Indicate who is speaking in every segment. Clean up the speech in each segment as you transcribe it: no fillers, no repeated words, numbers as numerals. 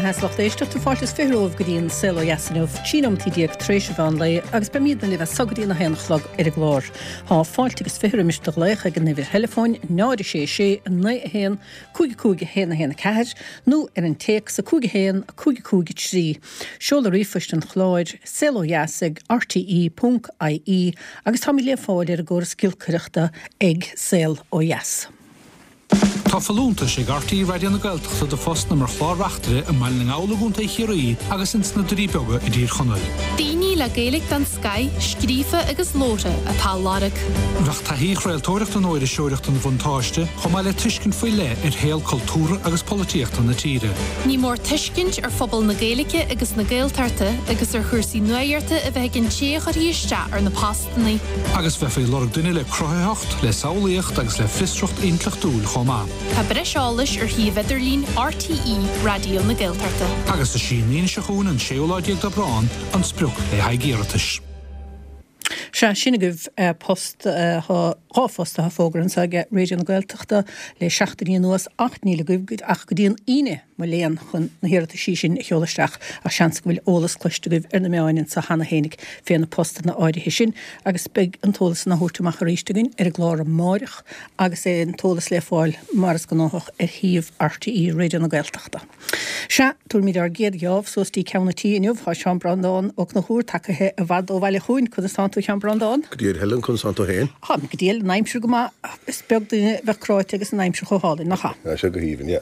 Speaker 1: mbeatha is lucht éisteachta, fáilte is 20 romhaibh go dtí an Saol Ó Dheas inniu, 13 nóimeataí tar éis an mheán lae agus beimídne libh as so go dtí an 1 a chlog ar an gclár. Tá fáilte agus 20 roimis do ghlaoch ag an uimhir theileafóin 0 6 6 9 1 5 5 1 1 4 nó ar an téacs 5 1 5 5 3. Seoladh ríomhphoist an chláir, saolodheas ag rte ponc ie agus táimid le fáil ar an gcóras giolcaireachta ag Saol Ó Dheas.
Speaker 2: Tá folúntais ag RTÉ Raidió na Gaeltachta do phostanna mar chlár-reachtaire i mBaile na nGall i gContae Chiarraí agus ins na Doirí Beaga i dTír Chonaill.
Speaker 3: Daoine le Gaeilge den scoith, scríofa agus labhartha, atá á lorg.
Speaker 2: Bheadh taithí chraoltóireachta nó iriseoireachta ina bhuntáiste, chomh maith le tuiscint faoi leith ar shaol cultúrtha agus polaitíochta na tíre.
Speaker 3: Ní mór tuiscint ar phobal na Gaeilge agus na Gaeltachta agus ar chúrsaí nuaíochta a bheith ag an té a chuirfidh isteach ar na postanna.
Speaker 2: Agus bheifí ag lorg duine le cruthaitheacht, le samhlaíocht agus le fiosracht intleachtúil chomh maith.
Speaker 3: Tá breis eolais ar shuíomh idirlín RTÉ Raidió na Gaeltachta.
Speaker 2: Agus is í an Aoine seo chugainn, an séú lá déag d'Aibreán, an sprioc le haghaidh iarratais.
Speaker 1: Sea, sin agaibh post, tá dhá phost atá fógartha anseo ag Raidió na Gaeltachta le seachtainí anuas ach níl agaibh ach go dtí an Aoine, mo léan, chun na hiarrataisí sin a sheoladh isteach ach seans go bhfuil eolas cloiste agaibh ar na meáin anseo cheana fhéinig fé na postanna áirithe sin agus beidh an t-eolas san á thabhairt amach arís againn ar an gclár amáireach agus é an t-eolas le fáil mar is gnáthach ar shuíomh RTÉ Raidió na Gaeltachta. Sea, tabharfaimid ár gcéad gheábh suas dtí ceann an tí inniu. Tá Seán Breandán Ó Conchúir tagaithe i bhfad ó bhaile chugainn. Conas tánn tú, a Sheáin Breandán?
Speaker 4: Go diail Helen, conas tánn tú féin?
Speaker 1: Táim go diail, an aimsir go maith. Is beag duine a bheadh cráite agus an aimsir chomh hálainn, nach ea?
Speaker 4: Tá sé go haoibhinn, yeah.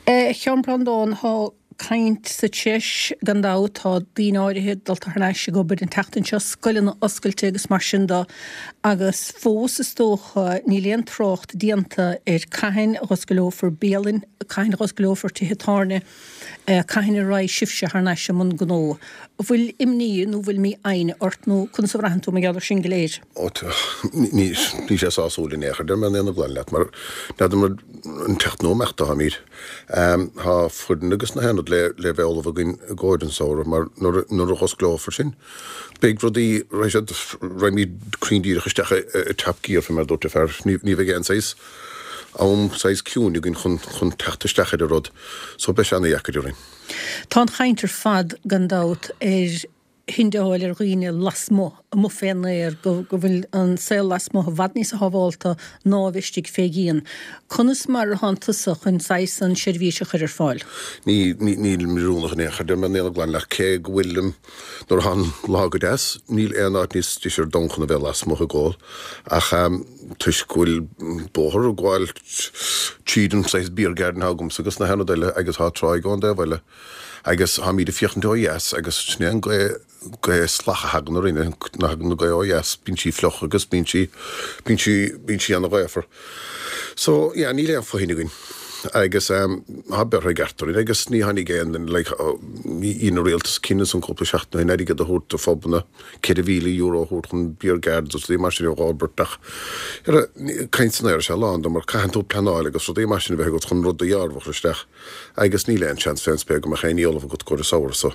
Speaker 1: A Sheáin Breandán, tá caint sa treis, gan dabht, tá daoine áirithe dulta thar n-ais ag obair an tseachtain seo, scoileanna oscailte agus mar sin de, agus fós is dócha níl aon trácht déanta ar cathain a dh'oscaileofar bialann, cathain a dh'oscaileofar tithe tábhairne. Cathain a raghaidh sibhse thar n-ais i mbun gnó? An bhfuil imní nó an bhfuil mífhoighne ort nó conas a bhraitheann tú mar gheall ar sin go léir?
Speaker 4: Ó, níl sé sásúil in aon chor, deir mé an aon ghlan leat, mar n'fheadar mar an teacht nó imeacht atáimid. Tá foireann agus na haon rud le le bheith ullamh againn i gcomhair an samhradh mar nuair nuair a dh'osclófar sin beidh rudaí, raghaidh siad, raghaimid cruinn díreach isteach i i top gear fé mar a dúirt an fear, ní ní bheidh aon saghas am saghas ciúin againn chun chun teacht isteach ar an rud so beidh sé ana-dheacair orainn.
Speaker 1: Tá an chaint ar fad, gan dabht, ar thindeáil ar dhaoine lasmuigh, amuigh fén aer, go go bhfuil an saol lasmuigh i bhfad níosa shábhálta ná a bheith istigh fé dhíon. Conas mar atánn tusa chun saghas an seirbhís a chur ar fáil?
Speaker 4: Ní ní nílim oiriúnach in aon chor, deir mé an aon ghlan leat, cé go bhfuilim Nuair atá an lá go deas, níl aon áit níos deise ar domhan chun a bheith lasmuigh ag ól, ach toisc go bhfuil bóthar ag gabháil tríd an saghas beer garden atá agamsa agus na haon rud eile agus tá tráigh ón dtaobh eile agus táimid ag féachaint ó dheas agus sin é an gaoth, gaoth salach a thagann orainn, nuair a thagann an gaoth ó dheas bíonn sí fliuch agus bíonn sí, bíonn sí, bíonn sí ana-ghaofar. So, yeah, níl aon fothain againn agus tá beartha i gceart orainn agus ní tháinig aon duine, like, ní dhein an rialtas cinneadh ansan cúpla seachtain ó shin airgead a thabhairt do phubanna, €4,000 a thabhairt chun beer gardens agus rudaí mar sin a dh'fhorbairt ach caint san aer is ea a lán de mar caitheann tú pleanáil agus rudaí mar sin a bheith agat chun rud dearfach a chur isteach agus níl aon seans fén spéir go mbeadh aon ní ullamh agat i gcomhair an samhradh so.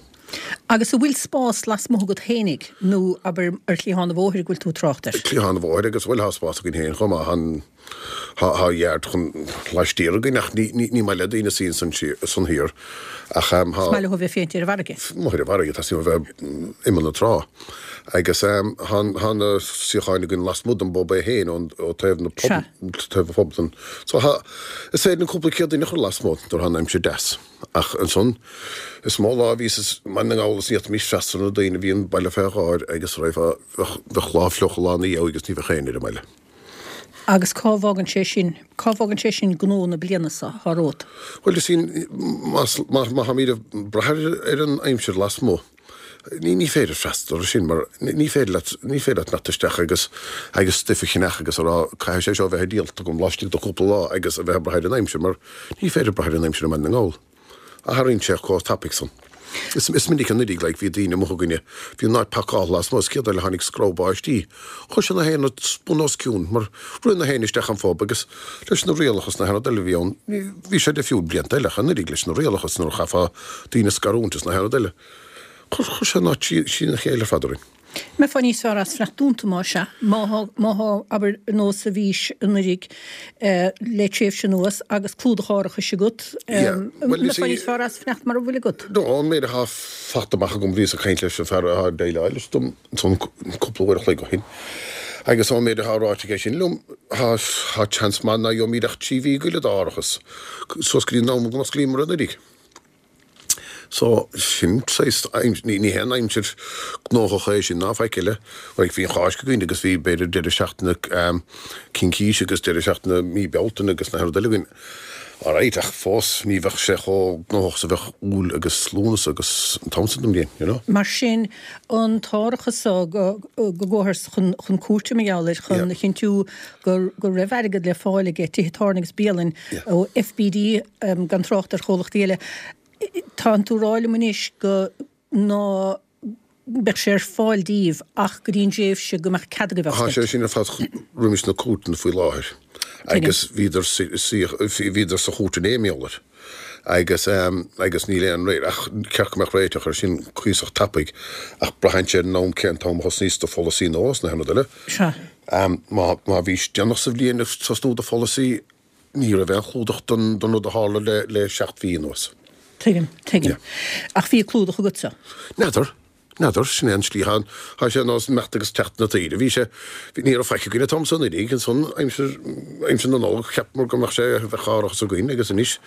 Speaker 1: Agus an bhfuil spás lasmuigh agat fhéinig nó abair ar chliathán an bhóthair go bhfuil tú ag trácht air?
Speaker 4: Cliathán an bhóthair agus bhuel tá spás againn féin chomh maith, tá, tá yard chun laistiar againn ach ní, ní, ní maith le daoine suí ansan siar, san thiar ach tá.
Speaker 1: Is maith leo a bheith féint ar an bhfarraige.
Speaker 4: Amuigh ar an bhfarraige, tá suim a bheith imeall na trá agus tá, tá na suíocháin againn lasmuigh den bpub é féin ón, ó taobh na pub, taobh an phub den, so tá, is féidir linn cúpla céad duine a chur lasmuigh nuair atá an aimsir deas. Ach ansan, is mó lá a bhíos i mBaile na nGall is ní fhéadfaimis freastal ar na daoine, bhí an baile fé dháir agus raghfá, bheadh, bheadh lá fliuch lá ina dhiaidh agus ní bheadh éinne ar an mbaile.
Speaker 1: Agus cá bhfágann sé sin, cá bhfágann sé sin gnó na bliana seo atá romhat?
Speaker 4: Bhuel, you see, más, má, má tháimid ag brath ar, ar an aimsir lasmuigh, Ní, ní féidir freastal air sin mar ní féidir leat, ní féidir leat imeacht isteach agus, agus stuif a cheannach agus a rá caithfidh sé seo a bheith díolta agam laistigh de chúpla lá agus a bheith ag brath ar an aimsir mar ní féidir brath ar an aimsir i mBaile na nGall. Athraíonn sé chomh tapaidh san. Is, is minic anuraidh like bhí daoine amuigh againne, bhí an áit pacáilte lasmuigh is céard eile tháinig screamh báistí. Chuir sé na haon rud bun os cionn mar rith na héinne isteach an phub agus leis na rialacha is na haon rud eile a bhí ann, ní, bhí sé difriúil blianta eile ach anuraidh leis na rialacha is nuair a chaithfeá daoine a scarúint is na haon rud eile. Chuir, chuir sé an áit trína chéile ar fad orainn.
Speaker 1: Mbeifeá níos fearr as fanacht dúnta más ea, má thá, má thá, abair, ar nós a bhís anuiridh le tréimhse anuas agus clúdach árachais agat, mbeifeá níos fearr as fanacht mara bhfuil agat?
Speaker 4: No, an méid athá fachta amach agam, bhíos ag caint leis an fear athá ag déileáil leis dom ansan cúpla uair a chloig ó shin, agus ón méid athá ráite aige sin liom, thá, thá seans maith ná gheobhaimíd ach 3 mhí go leith d'árachas, suas go dtí an am go n-osclaíomar anuiridh. So, sin saghas, ní haon aimsir gnóthach é sin ná faic eile. Like, bhí an Cháisc againn agus bhí b'fhéidir deireadh seachtaine Cincíse agus deireadh seachtaine mí Bealtaine agus na rud eile againn. Alright, ach fós ní bheadh sé chomh gnóthach is a bheadh Iúil agus Lúnasa agus an t-am san den bhliain, you know.
Speaker 1: Mar sin, an t-árachas so go gcuathas chun cúirte mar gheall air chun a chinntiú go raibh airgead le fáil aige tithe tábhairne agus bialainn ó FBD gan trácht ar chomhlachtaí eile. Tánn tú ag rá liom anois go ná beadh sé ar fáil díbh ach go dtí an dtréimhse go mbeadh cead agaibh
Speaker 4: Tá sé sin ar fad roimis na cúirteanna faoi láthair agus bhíodar bhíodar sa chúirt inné mar gheall air agus agus níl aon réir ach ceart go mbeadh réiteach air sin cuíosach tapaidh ach braitheann sé ar an am cén t-am a thosnaíos do pholasaí nua is na haon rud eile.
Speaker 1: Sea.
Speaker 4: Má bhís déanach sa bhliain ag tosnú do pholasaí, ní raibh aon chlúdach don rud a tharla le 7 mhí anuas.
Speaker 1: Tuigim, tuigim. Ach bhí clúdach agatsa?
Speaker 4: N'fheadar, n'fheadar, sin é an slí. Tá sé ar nós imeacht agus teacht na taoide. Bhí sé, ní raibh faic againn an t-am san uilig, ansan aimsir, aimsir na Nollag, cheapamar go mbeadh sé, bheadh árachas againn agus anois,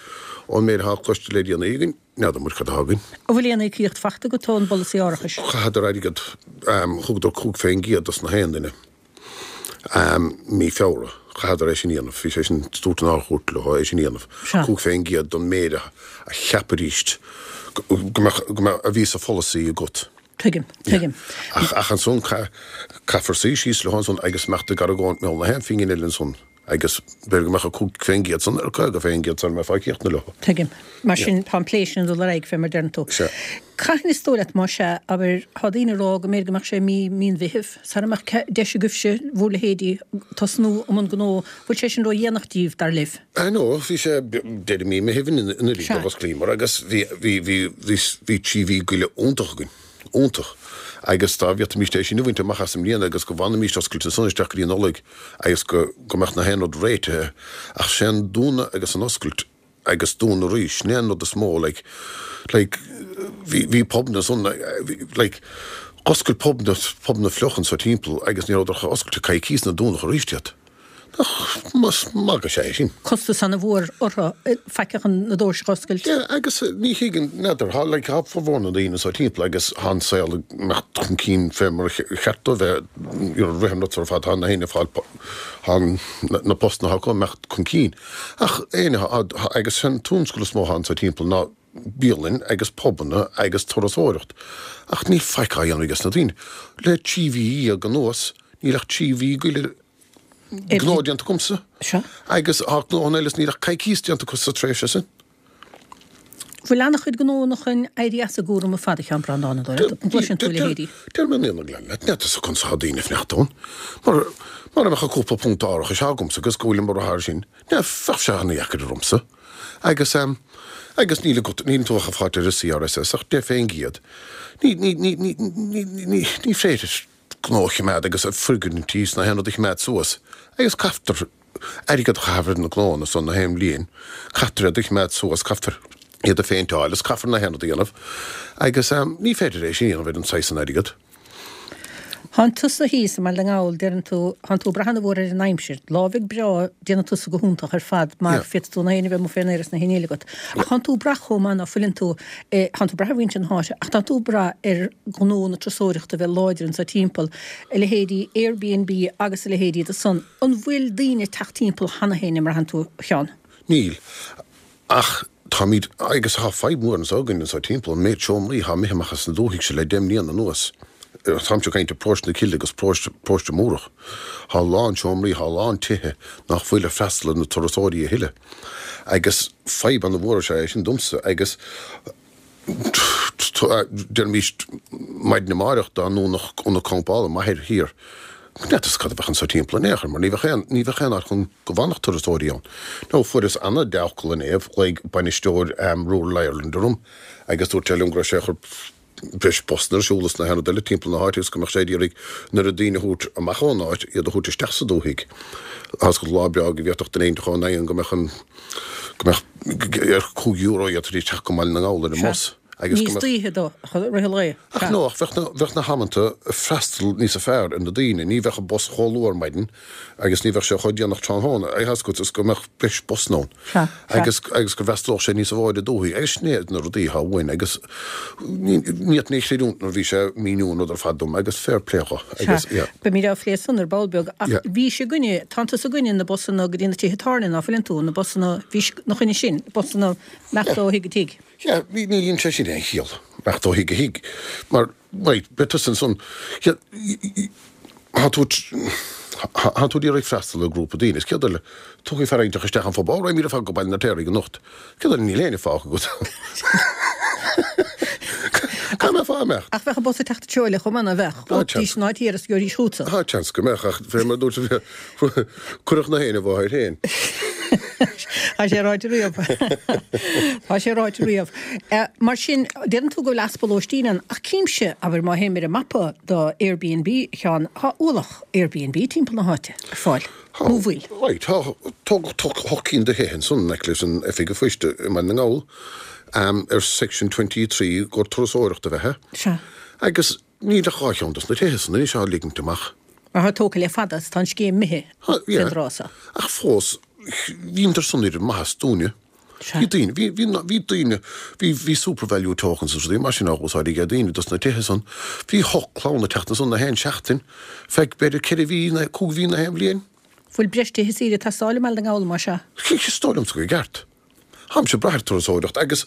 Speaker 4: ón méid atá cloiste le déanaí againn, N'fheadar muid cad atá againn.
Speaker 1: An bhfuil aon íocaíocht fachta agat ón bpolasaí árachais?
Speaker 4: Chaitheadar airgead, thugadar 5 fén gcéad dos na haon duine mí Feabhra. Chaitheadar é sin a dhéanamh. Bhí sé sin, dúirt an Ard-Chúirt leo é sin a dhéanamh. 5 fén gcéad don méid a cheapaidíst go mbeadh, go mbeadh, a bhí sa pholasaí agat.
Speaker 1: Tuigim, tuigim.
Speaker 4: Ach, ach ansan caithfear suí síos leo ansan agus imeacht ag argóint mar gheall na haon phingin eile ansan. Agus b'fhéidir go mbeadh an 5% san ar 50% sara mbeifeá críochnaithe leo.
Speaker 1: Tuigim. Mar sin, tá an plé sin ag dul ar aghaidh, fé mar deireann tú.
Speaker 4: Sea.
Speaker 1: Cathain is dóigh leat, más ea, abair, tá daoine ag rá go mb'fhéidir go mbeadh sé mí, mí an Mheithimh, sara mbeadh deis agaibhse, bhur leithéidí, tosnú i mbun gnó. Bhfuil sé sin ró-dhéanach díbh, dar libh?
Speaker 4: I know, bhí sé deireadh mí Meithimh anuraidh a d'osclaíomar agus bhí, bhí, bhí, bhí, bhí 3 mhí goile iontach againn. Iontach. Agus dá bhféadfaimíst é sin a bhaint amach as i mbliana agus go bhfanfaimíst oscailte ansan isteach go dtí an Nollaig agus go go mbeadh na haon rud réitithe ach sé an dúnadh agus an oscailt agus dúnadh arís, sin é an rud is mó like like bhí bhí pubanna ansan like dh'oscail pubanna pubanna fliuch anso timpeall agus ní rabhadar ach oscailte coicís nuair dúnadh arís iad. Nach magadh is ea é sin?
Speaker 1: Costas ana-mhór orthu faic chun na doirse a oscailt.
Speaker 4: Yeah, agus ní thuigeann, n'fheadar, thá like, thá formhór na ndaoine anso timpeall agus thá an saol ag imeacht chun cinn fé mar a cheart dó bheith, you know, rith an rud ar fad, thá na héinne ag fáil, thá na postanna acu ag imeacht chun cinn. Ach éinne, thá, agus an tionscal is mó athá anso timpeall ná bialann agus pubanna agus turasóireacht. Ach níl faic á dhéanamh ages na daoine. Le 13 mhí anuas, níl ach 3 mhí goile gnó déanta agamsa agus thá gnóthanna eile is níl ach coicíos déanta acu sa tréimhse sin.
Speaker 1: Bhfuil an-chuid gnóanna chun éirí as a gcúram ar fad, a Sheáin Breandáin, an dóigh leat? An gcloiseann tú a leithéidí?
Speaker 4: Deir mé an gleann leat, n'fheadar conas atá daoine ag fanacht ann. Mar, mara mbeadh an cúpla punt árachais agamsa agus go bhfuilim ag brath air sin, ní, bheadh sé ana-dheacair ormsa. Agus, agus níl agat, níl tú ach ag fáilt ar an CRSS ach 10 fén gcéad. Ní, ní, ní, ní, ní, ní, ní féidir. gnó a chimeád agus foirgnintí is na haon rud a chimeád suas agus caithfear airgead a chaitheamh ar na gnóanna san na haon bhliain, caithfear iad a chimeád suas, caithfear iad a phéinteáil is caithfear na haon rud a dhéanamh agus ní féidir é sin a dhéanamh ar an saghas san airgead.
Speaker 1: Thánn tusa thíos i mBaile na nGall, deireann tú, thánn tú ag brath ana-mhór ar an aimsir. Lá bheag breá, déanann tusa go hiontach ar fad mar féadfaidh tú na héinne a bheith amuigh fén aer is na haon ní eile agat. Ach thánn tú ag brath chomh maith ná fuileann tú, Thánn tú ag brath ar mhuintir na háite, ach tánn tú ag brath ar ghnó na turasóireachta a bheith láidir anso timpeall, a leithéidí Airbnb agus a leithéidí de san. An bhfuil daoine ag teacht timpeall cheana féin, an mbraitheann tú, a Sheáin?
Speaker 4: Níl. Ach táimid, agus tá fadhb mhór anso againn anso timpeall, an méid seomraí atá imithe amach as an dúthaigh seo le deich mbliana anuas. Táimse ag caint ar Paróiste na Cille agus Paróiste, Paróiste Múrach. Tá a lán seomraí, tá a lán tithe nach bhfuil ag freastal ar na turasóirí a thuilleadh. Agus fadhb ana-mhór is ea é sin domsa agus deirimis maidin amáireach dá ndúnfadh ionad campála Machaire Thiar, n'fheadarsa cad a bheadh anso timpeall in aon chor mar ní bheadh aon, ní bheadh aon áit chun go bhfanfadh turasóirí ann. Now fuaireas ana-dea-fhocal inné, ghlaoigh bainisteoir Rural Ireland orm agus dúirt sé liom go raibh sé ag cur. breis busanna ar siúl is na haon rud eile timpeall na háite agus go mbeadh sé ag iarraidh an oiread daoine a thabhairt amach ón áit, iad a thabhairt isteach sa dúthaigh. Tá 's agat lá breá go bhféadfadh duine éigin ón oigheann go mbeadh an, go mbeadh ar €5 d'fhéadfaidís teacht go Baile na nGall ar an mbus
Speaker 1: agus go Níos mbeadh. daoithe do rith an lae.
Speaker 4: Ach no, ach bheadh na, bheadh na hamanta freastal níosa fearr ar na daoine, ní bheadh an bus chomh luath ar maidin agus ní bheadh sé chomh déanach tráthnóna, tá 's agat, is go mbeadh breis busanna ann.
Speaker 1: Sea,
Speaker 4: sea. Agus, agus go bhfreastalódh sé níosa mhó ar an dúthaigh agus sin iad na rudaí atá uainn agus ní, ní fhéadfainn é a chreidiúint nuair a bhí sé ag míniú an rud ar fad dom agus fair play dho
Speaker 1: agus, Sea, yeah. Beimid á phlé san ar ball beag ach Yeah. bhís i gcoinne, tánn tusa i gcoinne na busanna go dtí na tithe tábhairne, ná fuileann tú, na busanna, bhís 'na choinne sin, busanna imeacht ó thigh go tigh.
Speaker 4: Yeah, ní, ní dhein sé sin aon chiall, imeacht ó thigh go thigh, mar, right, beidh tusa ansan, yeah, tá tú, tá tú ag iarraidh freastal ar grúpa daoine, is céard eile, tiocfaidh fear inteacht isteach an phub, ó, raghaimid ar fad go Baile an Fheirtéaraigh anocht, céard eile, níl éinne fágtha agat. Cá mbeifeá ag imeacht?
Speaker 1: Ach bheadh an bus ag teacht an treo eile chomh maith, ná bheadh? Tá seans. An áit thiar is gheobhaidís
Speaker 4: chugatsa. Tá seans go mbeadh, ach fé mar a dúirt Cuirfeadh na héinne i bhfáth air féin.
Speaker 1: Tá sé ráite riamh. Tá sé ráite riamh. Mar sin, deireann tú go bhfuil easpa lóistín ann, ach címse, abair, má théim ar an mapa do Airbnb, a Sheáin, tá ualach Airbnb timpeall na háite ar fáil, nó an bhfuil?
Speaker 4: Right, tá, tógadh hocht cinn de thithe ansan in aice leis an Oifig an Phoist i mBaile na nGall, ar Section 23 gur turasóireacht a bheith
Speaker 1: ann. Sea.
Speaker 4: Agus Níl ach 2 cheann dos na tithe san anois á ligint amach.
Speaker 1: Mar tá tógtha le fada is tá an scéim imithe fén dtráth so.
Speaker 4: Ach fós, bhíodar san ar maitheas dúinne. Bhí daoine, bhí, bhí, bhí daoine, bhí, bhí SuperValu tokens agus rudaí mar sin á úsáid ag daoine dos na tithe san. Bhí hocht clann ag teacht ansan na haon seachtain, feadh b'fhéidir ceithre mhí, nó cúig mhí na haon bhliain.
Speaker 1: Bhfuil breis tithe saoire ag teastáil i mBaile na nGall, más
Speaker 4: ea? Is dóigh liomsa gur ceart. Táimse ag brath ar turasóireacht agus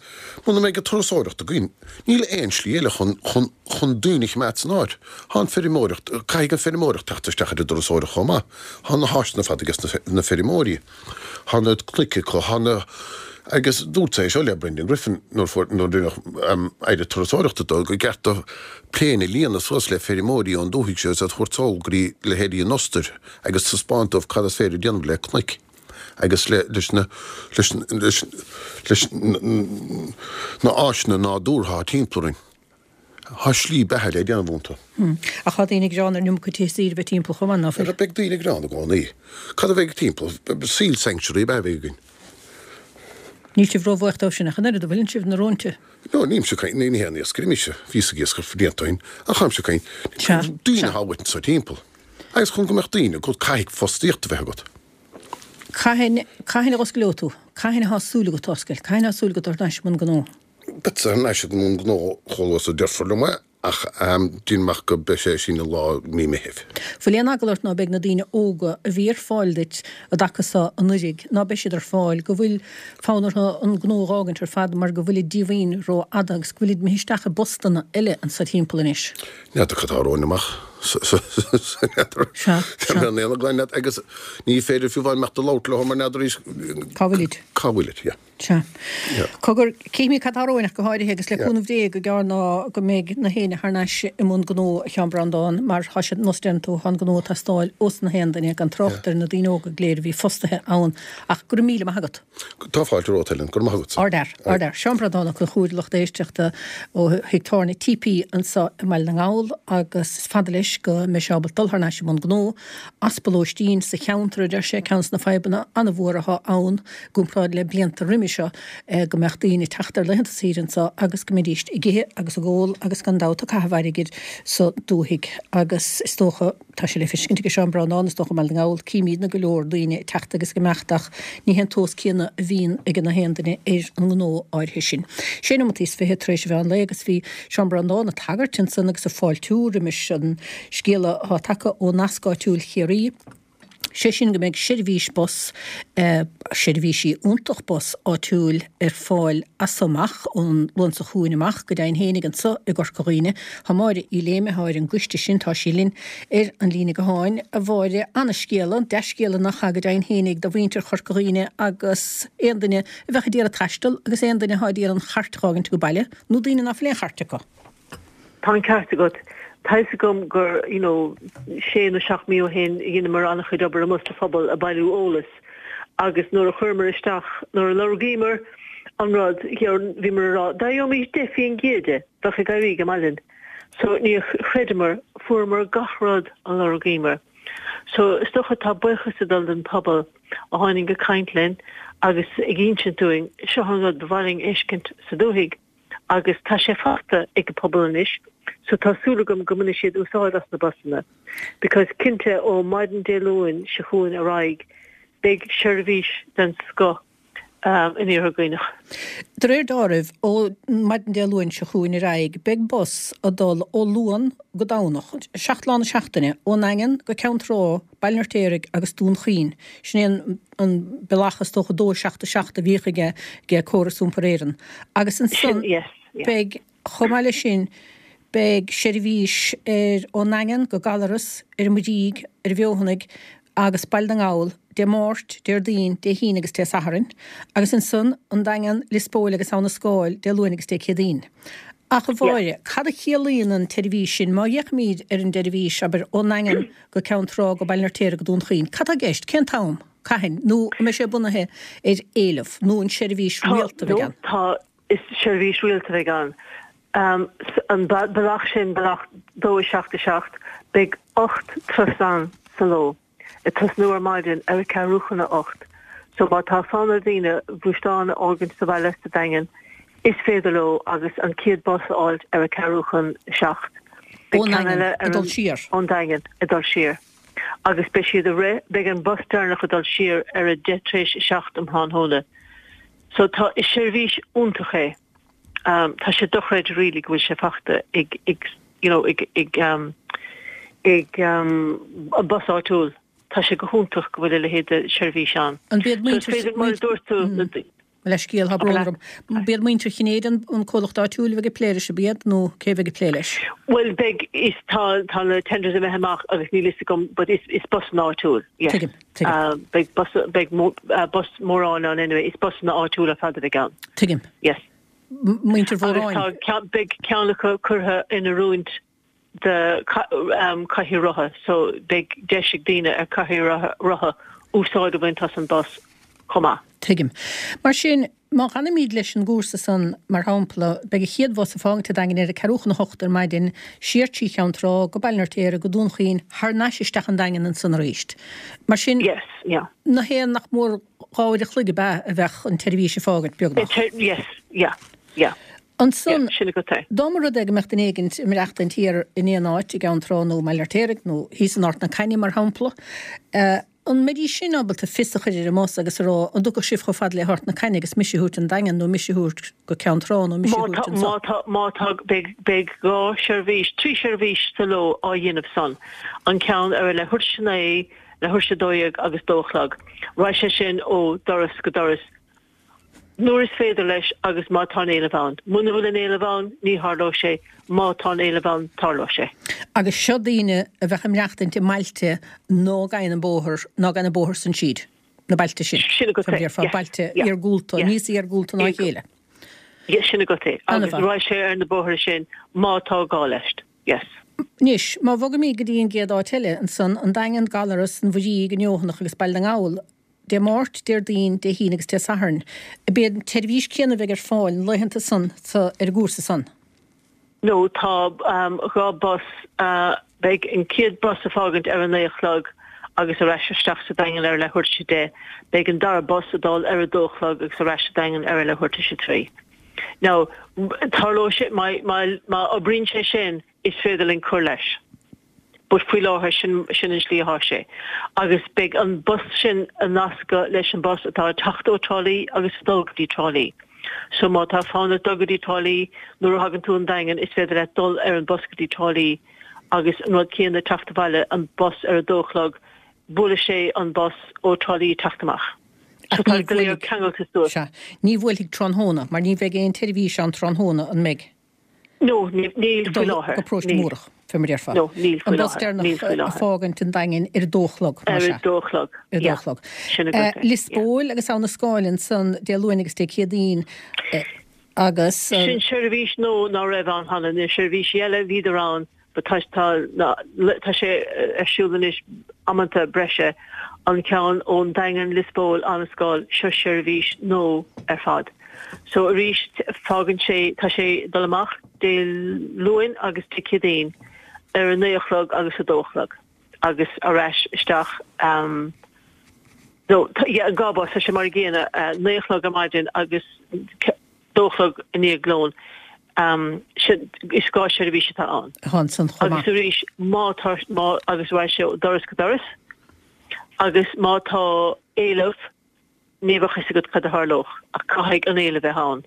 Speaker 4: muna mbeidh an turasóireacht againn, níl aon slí eile chun, chun, chun daoine a choimeád san áit. Tá an feirmeoireacht, caithfidh an feirmeoireacht teacht isteach ar an dturasóireacht chomh maith. Tá na háiseanna ar fad ages na, na feirmeoirí. Tá na cnoic acu, tá na, agus dúirt é seo le Brendan Griffin nuair fuair, nuair rinneadh Aire Turasóireachta dó, gur ceart do plane a líonadh suas le feirmeoirí ón dúthaigh seo agus iad a thabhairt sall go dtí leithéidí an Ostair agus taispeáint dóibh cad is féidir a dhéanamh le cnoic. agus le leis na leis leis leis na áiseanna nádúrtha atá timpeall orainn. Tá slí beatha le déanamh iontu.
Speaker 1: Ach tá daoine ag gearán ar an iomarca tithe saoire a bheith timpeall chomh maith, ná
Speaker 4: fuil? Beidh daoine ag gearán i gcónaí. Cad a bheidh timpeall? Seal sanctuary ab ea a bheidh againn.
Speaker 1: Níl sibh róbhuíoch dóibh sin ach an oiread, an bhfuileann sibh, na róinte?
Speaker 4: No, nílimse ag caint, ní haon iascaire mise, bhíos ag iascaireacht blianta ó shin, ach táimse ag caint, daoine atá uait anseo timpeall. Agus chun go mbeadh daoine agat, caithfidh fostaíocht a bheith agat.
Speaker 1: Cathain, cathain a dh'oscaileoidh tú? Cathain atá súil agat oscailt? Cathain atá súil agat thar n-ais i mbun gnó?
Speaker 4: Beadsa thar n-ais i mbun gnó chomh luath is a deirfear liom é, ach déanaim amach go beidh sé sin i lár mí Meithimh.
Speaker 1: Bhfuil aon eagla ort ná beidh na daoine óga a bhí ar fáil duit i dtaca so anuiridh, ná beidh siad ar fáil, go bhfuil fonn orthu an gnó a dh'fhágaint ar fad mar go bhfuilid díomhaoin ró-fhada agus go bhfuilid imithe isteach i bpostanna eile anso timpeall anois?
Speaker 4: N'fheadar cad tá romhainn amach. N'fheadar.
Speaker 1: Sea, sea.
Speaker 4: An aon glan leat agus ní féidir fiú amháin imeacht a labhairt leo mar n'fheadar
Speaker 1: Cá bhfuilid?
Speaker 4: Cá bhfuilid, yeah.
Speaker 1: Sea. Yeah. Cogar, cífimid cad tá romhainn ach go háirithe agus le cúnamh Dé go gearr ná go mbeidh na héinne thar n-ais i mbun gnó a Sheáin Breandán mar tá sé nós deireann tú, tá an gnó ag teastáil ós na haon duine gan trácht ar na daoine óga go léir a bhí fostaithe ann ach go raibh míle maith agat.
Speaker 4: Tá fáilte romhat, Helen. Go raibh maith agatsa.
Speaker 1: Ardfhear, ardfhear. Seán Breandán Ó Conchúir, lucht éisteachta ó thigh tábhairne TP anseo i mBaile na nGall agus is fada leis go mbeidh sé ábalta dul thar n-ais i mbun gnó. Easpa lóistín sa cheantar, a deir sé, ceann de na fadhbanna an-mhór atá ann i gcomparáid le blianta roimhe seo, go mbeadh daoine ag teacht ar laethanta saoire anseo agus go mbeidís ag ithe agus ag ól agus gan dabht ag caitheamh airgid sa dúthaigh agus is dócha, Tá sé le feiscint ag Seán Breandán, is dócha, i mBaile na nGall, címídne go leor daoine ag teacht agus ag imeacht ach ní hé an tomhas céanna a bhíonn ag na haon duine ar an ngnó áirithe sin. Sé nóimeataí is fiche tar éis an mheán lae agus bhí Seán Breandán ag tagairt ansan agus ag fáiltiú roimis an scéala atá tagtha ó Nasc Áitiúil Chiarraí, sé sin go mbeidh seirbhís bus, seirbhísí iontach bus áitiúil ar fáil as so amach, ón Luan seo chugainn amach, go deimhin fhéinig anso i gCorca Dhuibhne. Tá Máire Uí Léime, atá ar an gcoiste sin, tá sí linn ar an líne gutháin. A Mháire, ana-scéala, dea-scéala nach ea, go deimhin fhéinig do mhuintir Chorca Dhuibhne agus aon duine a bheadh ag iarraidh taisteal agus aon duine atá ag iarraidh an chairt a dh'fhágaint go baile, nó daoine ná fuil aon chairt acu.
Speaker 5: Tá an ceart agat. Tá fhios agam gur, you know, sé nó seacht mí ó shin dheineamar an-chuid obair amuigh sa phobal ag bailiú eolais agus nuair a chuireamar isteach, nuair a lorgaíomar an rud, bhíomar ag rá, dá gheobhaimis 10% de. Bheadh ag éirí go maith linn. So níor chreideamar, fuaireamar gach rud a lorgaíomar. So is dócha tá buíochas ag dul don pobal a tháinig ag caint linn agus ag insint dúinn seo an rud ba mhaith linn a fheiscint sa dúthaigh agus tá sé faighte ag an pobal anois so tá súil agam go mbainfidh siad úsáid as na busanna because cinnte ó maidin Dé Luain seo chugainn ar aghaidh beidh seirbhís den scoth in Iarthar Dhuibhneach.
Speaker 1: De réir dealraimh, ó maidin Dé Luain seo chugainn ar aghaidh, beidh bus ag dul ó Luan go Domhnach, 7 lá na seachtaine, ón nDaingean go Ceann Trá, Baile an Fheirtéaraigh agus Dún Chaoin. Sin é an bealach is dócha 2 7 7 a bhíodh aige Córas Iompair Éireann. Agus ansan beidh. Chomh maith leis sin, beidh seirbhís ar ón nDaingean go Gallaras, ar an Muirígh, ar an bhFeothanaigh agus Baile na nGall Dé Máirt, Déardaoin, Dé hAoine agus Dé Sathairn, agus ansan an Daingean, Lios Póil agus Abha na Scáil Dé Luain agus Dé Céadaoin. Ach a Mháire, cad a chiallaíonn an tseirbhís sin? Má fhéachaimid ar an tseirbhís, abair, ón nDaingean go Ceann Trá go Baile an Fheirtéaraigh go Dún Chaoin, cad tá i gceist? Cén t-am? Cathain? Nó an mbeidh sé bunaithe ar éileamh? Nó an seirbhís rialta a bheidh ann?
Speaker 5: Tá, Is seirbhís rialta a bheidh ann. An bealach sin, bealach 2 7 7, beidh 8 turas ann sa ló, ag tosnú ar maidin ar a ceathrú chun a 8. So má tá fonn ar dhaoine gluaisteán a fhágaint sa bhaile sa Daingean, is féidir leo agus an chéad bus a fháilt ar a ceathrú chun a 7.
Speaker 1: Beidh Ón ceann Daingean eile ag dul siar.
Speaker 5: Ón Daingean ag dul siar. Agus beidh siad ag rith, beidh an bus deireanach ag dul siar ar a 10 tar éis a 7 um thráthnóna. So tá, is seirbhís iontach é. Tá sé dochreidte really go bhfuil sé fachta ag, ag, you know, ag, ag, ag an bus áitiúil. Tá sé go hiontach go bhfuil a leithéid de sheirbhís ann.
Speaker 1: An b'iad
Speaker 5: muintir. So is féidir, mar a dúirt tú, na.
Speaker 1: Mo leithscéal, tá brón orm. B'iad muintir Chinnéide an comhlacht áitiúil a bheidh ag plé leis, ab iad, nó cé a bheidh ag plé leis?
Speaker 5: Bhuel, beidh, is, tá, tá na tenders imithe amach agus níl fhios agam, but is, is busanna áitiúil,
Speaker 1: yes. Tuigim.
Speaker 5: Tuigim. Beidh bus, beidh bus mórán ann anyway, is busanna áitiúla ar fad a bheidh ann.
Speaker 1: Tuigim.
Speaker 5: Yes.
Speaker 1: Muintir Mhóráin.
Speaker 5: Agus tá ceann, beidh ceann acu curtha in oiriúint do cathaoir rotha, so beidh deis ag daoine ar cathaoir rotha úsáid a bhaint as an bus chomh maith.
Speaker 1: Tuigim. Mar sin, Má fhanaimid leis an gcúrsa san, mar shampla, beidh an chéad bhus ag fágaint an Daingin ar a ceathrú chun a hocht ar maidin, siar trí Cheann Trá, go Baile an Fheirtéaraigh, go Dún Chaoin, thar n-ais isteach an Daingean ansan arís. Mar sin,
Speaker 5: Yes, yeah.
Speaker 1: na haon nach mór 2 uair a chloig ab ea a bheadh an tseirbhís ag fágaint, beagnach.
Speaker 5: Yes, yeah, yeah.
Speaker 1: Ansan,
Speaker 5: Yeah, sin agat é.
Speaker 1: dá mba rud é go mbeadh duine éigint ag maireachtaint thiar in aon áit i gCeann Trá nó i mBaile an Fheirtéaraigh nó thíos in Ard na Caithne, mar shampla, An mbeidís sin ábalta fios a chur ar an mbus agus a rá, an dtiocfadh sibh chomh fada le hArt na Caithne agus mise a thabhairt an Daingean nó mise a thabhairt go Ceann Trá nó mise a
Speaker 5: Má
Speaker 1: thabhairt
Speaker 5: tá,
Speaker 1: anso?
Speaker 5: má tá, má tá, beidh, beidh 2 sheirbhís, 3 sheirbhís sa ló á dhéanamh san. An ceann ar a leathuair tar éis a naoi, leathuair tar éis a 12 agus dó a chlog. Raghaidh sé sin ó doras go doras. Nuair is féidir leis agus má tá an éileamh ann. Muna bhfuil an éileamh ann, ní tharlóidh sé. Má tá an éileamh ann, tarlóidh sé.
Speaker 1: Agus seo daoine a bheadh ag maireachtaint i mbailte ná gabhann an bóthar, ná gabhann an bóthar san tríd, na bailte sin.
Speaker 5: Sin agat é.
Speaker 1: Yes. Bailte iargúlta, níos iargúlta ná a chéile.
Speaker 5: Yes, sin agat é. Agus raghaidh sé ar na bóithre sin má tá gá leis. Yes.
Speaker 1: Anois, má bhogaimid go dtí an gcéad áit eile, ansan, an Daingean, Gallaras, an Mhuirígh, an Fheothanach agus Baile na nGall, Dé Máirt, Déardaoin, Dé hAoine agus Dé Sathairn. Ab é an tseirbhís céanna a bheidh ar fáil na laethanta san sa ar an gcúrsa san?
Speaker 5: No, tá 2 bus, beidh an chéad bus ag fágaint ar a naoi a chlog agus ar ais isteach sa Daingean ar a leathuair tar éis a deich. Beidh an dara bus ag dul ar a dó a chlog agus ar ais sa Daingean ar a leathuair tar éis a trí. Now, tarlóidh sé, má, má, má oibríonn sé sin, is féidir linn cur leis. But faoi láthair, sin, sin an slí atá sé. Agus beidh an bus sin ag nascadh leis an bus atá ag teacht ó Trá Lí agus ag dul go dtí Trá Lí. So má tá fonn ort dul go dtí Trá Lí, nuair a thagann tú 'on Daingean, is féidir leat dul ar an bus go dtí Trá Lí agus an rud céanna teacht abhaile, an bus ar a dó a chlog, buailfidh sé an bus ó Trá Lí ag teacht amach.
Speaker 1: So tá go léir ceangailte suas. Sea. Ní bhuailfidh tráthnóna, mar ní bheidh aon tseirbhís ann tráthnóna, an mbeidh?
Speaker 5: No, níl faoi láthair.
Speaker 1: Go Paróiste Múrach, fé mar a déarfá.
Speaker 5: No, níl faoi
Speaker 1: láthair. An bus deireanach ag fágaint an Daingin ar a dó a chlog,
Speaker 5: mar sea. Ar a dó a chlog,
Speaker 1: Ar a dó a chlog. Sin agat é. Lios Póil agus Abha na Scáil ansan Dé Luain agus Dé Céadaoin agus.
Speaker 5: Sin seirbhís nua ná raibh ann cheana. Na seirbhísí eile, bhíodar ann but tá, tá, tá sé ar siúl anois amanta breise, an ceann ón Daingean, Lios Póil, Abha na Scáil, seo seirbhís nua ar fad. So arís, fágann sé, tá sé ag dul amach. Dé Luain agus Dé Céadaoin ar a 9 a chlog agus a 2 a chlog agus ar ais isteach no yeah an 2 bus tá sé mar a gcéanna 9 a chlog ar maidin agus 2 a chlog i ndiaidh lóin sin is 2 seirbhís atá ann.
Speaker 1: Atá ansan chomh
Speaker 5: maith. Agus arís má tá má agus raghaidh sé ó doras go doras agus má tá éileamh ní bheadh fhios agat cad a tharlódh ach caithfidh an éileamh bheith ann.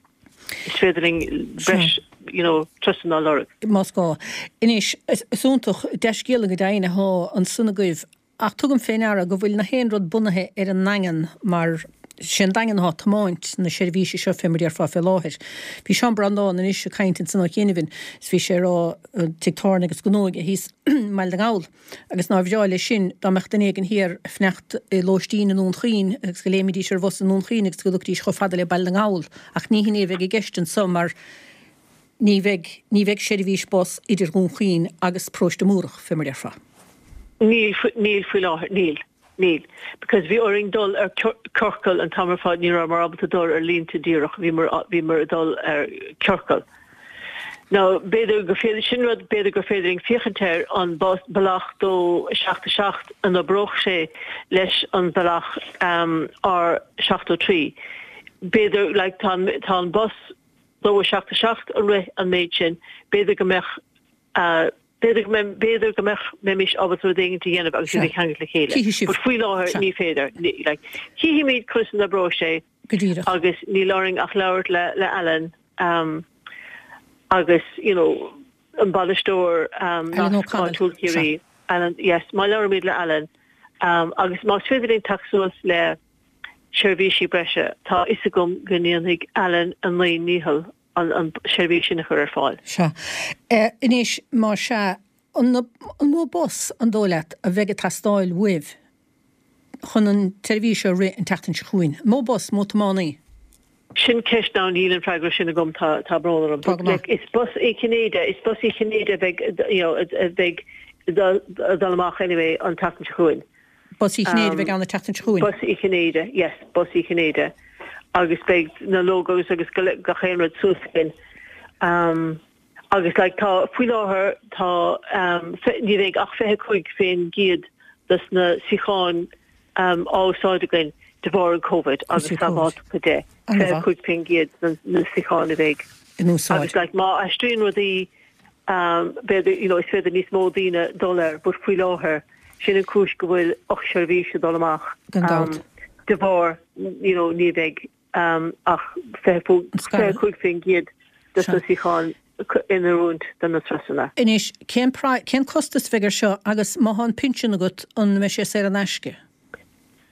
Speaker 5: Is féidir linn breis you know turasanna a lorg.
Speaker 1: Más gá. Anois, is iontach, dea-scéala go deimhin athá ansan agaibh ach tugaim fé ndeara go bhfuil na haon rud bunaithe ar an nDaingean mar sé an Daingean athá tiomáint na seirbhíse seo fé mar déarfá fé láthair. Bhí Seán Breandán anois ag caint ansan ó chianaibh is bhí sé ag rá tigh tábhairne agus gnó aige thíos i mBaile na nGall. Agus nár bhreá leis sin dá mbeadh duine éigin thiar ag fanacht i lóistín i nDún Chaoin agus go léimfidís ar bhus i nDún Chaoin agus go dtiocfaidís chomh fada le Baile na nGall. Ach ní hin é a bheidh i gceist anso mar ní bheidh, ní bheidh seirbhís bus idir Dhún Chaoin agus Paróiste Múrach, fé mar déarfá.
Speaker 5: Níl, níl faoi láthair, níl. Níl. Because bhí orainn dul ar ciorcal an t-am ar fad, ní rabhamar ábalta dul ar línte díreach, bhíomar, bhíomar ag dul ar ciorcal. Now, b'fhéidir gur féidir, sin rud, b'fhéidir gur féidir linn féachaint air, an bealach 2 7 7, an oibreodh sé leis an bealach R73. B'fhéidir, like, tá an, tá an bus 2 7 7 ag rith an méid sin, b'fhéidir go mbeadh, B'fhéidir go mbeidh, b'fhéidir go mbeadh, mbeimis ábalta rud éigin a dhéanamh agus iad a cheangal le chéile.
Speaker 1: Chífidh sibh.
Speaker 5: But faoi láthair ní féidir. Like, chífimid conas a n-oibreoidh sé.
Speaker 1: Go díreach.
Speaker 5: Agus níl orainn ach labhairt le, le Alan, um, agus, you know, an bainisteoir, um,
Speaker 1: Alan
Speaker 5: Nasc
Speaker 1: O'Connell.
Speaker 5: Áitiúil Chiarraí. Alan, yes, má labhraímid le Alan, um, agus más féidir linn teacht suas le seirbhísí breise, tá a fhios agam go ndéanfaidh Alan a naoi ndícheall an seirbhís sin a chur ar fáil.
Speaker 1: Sea. Anois, más ea, an mó bus, an dóigh leat, a bheidh ag teastáil uaibh chun an tseirbhís seo a rith an tseachtain seo chugainn? An mó bus, mó tiománaí?
Speaker 5: Sin ceist now, níl an freagra sin agam, tá, tá brón orm.
Speaker 1: Tá go maith.
Speaker 5: Like, is bus Uí Chinnéide, is bus Uí Chinnéide a bheidh, you know, a bheidh ag dul amach anyway an tseachtain seo chugainn.
Speaker 1: Bus Uí Chinnéide a bheidh ann an tseachtain seo chugainn.
Speaker 5: Bus Uí Chinnéide, yes, Bus Uí Chinnéide. Agus beidh na logos agus gach aon rud suas againn. Um, agus like tá, faoi láthair, tá, um, ní bheidh ach 25% dos na suíocháin um, á úsáid againn de bharr an Covid agus sábháilteachta de. 25% de na suíocháin a bheidh
Speaker 1: in úsáid.
Speaker 5: Agus like má aistríonn rudaí um, b'fhéidir, you know, is féidir níos mó daoine dul air, but faoi láthair, Sin an cúis go bhfuil 8 seirbhís ag dul amach.
Speaker 1: Gan dabht.
Speaker 5: De bharr, you know, ní bheidh ach 25% de na suíocháin in oiriúint do na turasanna.
Speaker 1: Anois, cén cén costas a bheidh air seo agus má thá an pinsean agat, an mbeidh sé saor in aisce?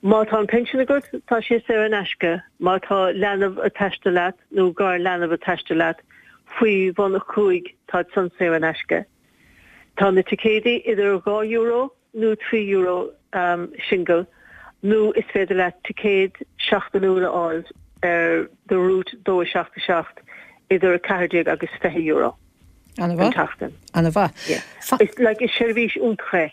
Speaker 5: Má tá an pinsean agat, tá sé saor in aisce. Má tá leanbh ag taisteal leat nó gar-leanbh ag taisteal leat faoi bhun 5, tá san saor in aisce. Tá na ticéidí idir €2 nó €3 singil nó is féidir leat ticéad seachtainiúil a fháil ar do route 2 7 7 idir 14 agus €20
Speaker 1: an
Speaker 5: tseachtain.
Speaker 1: Ana-mhaith.
Speaker 5: Is like is seirbhís iontach é.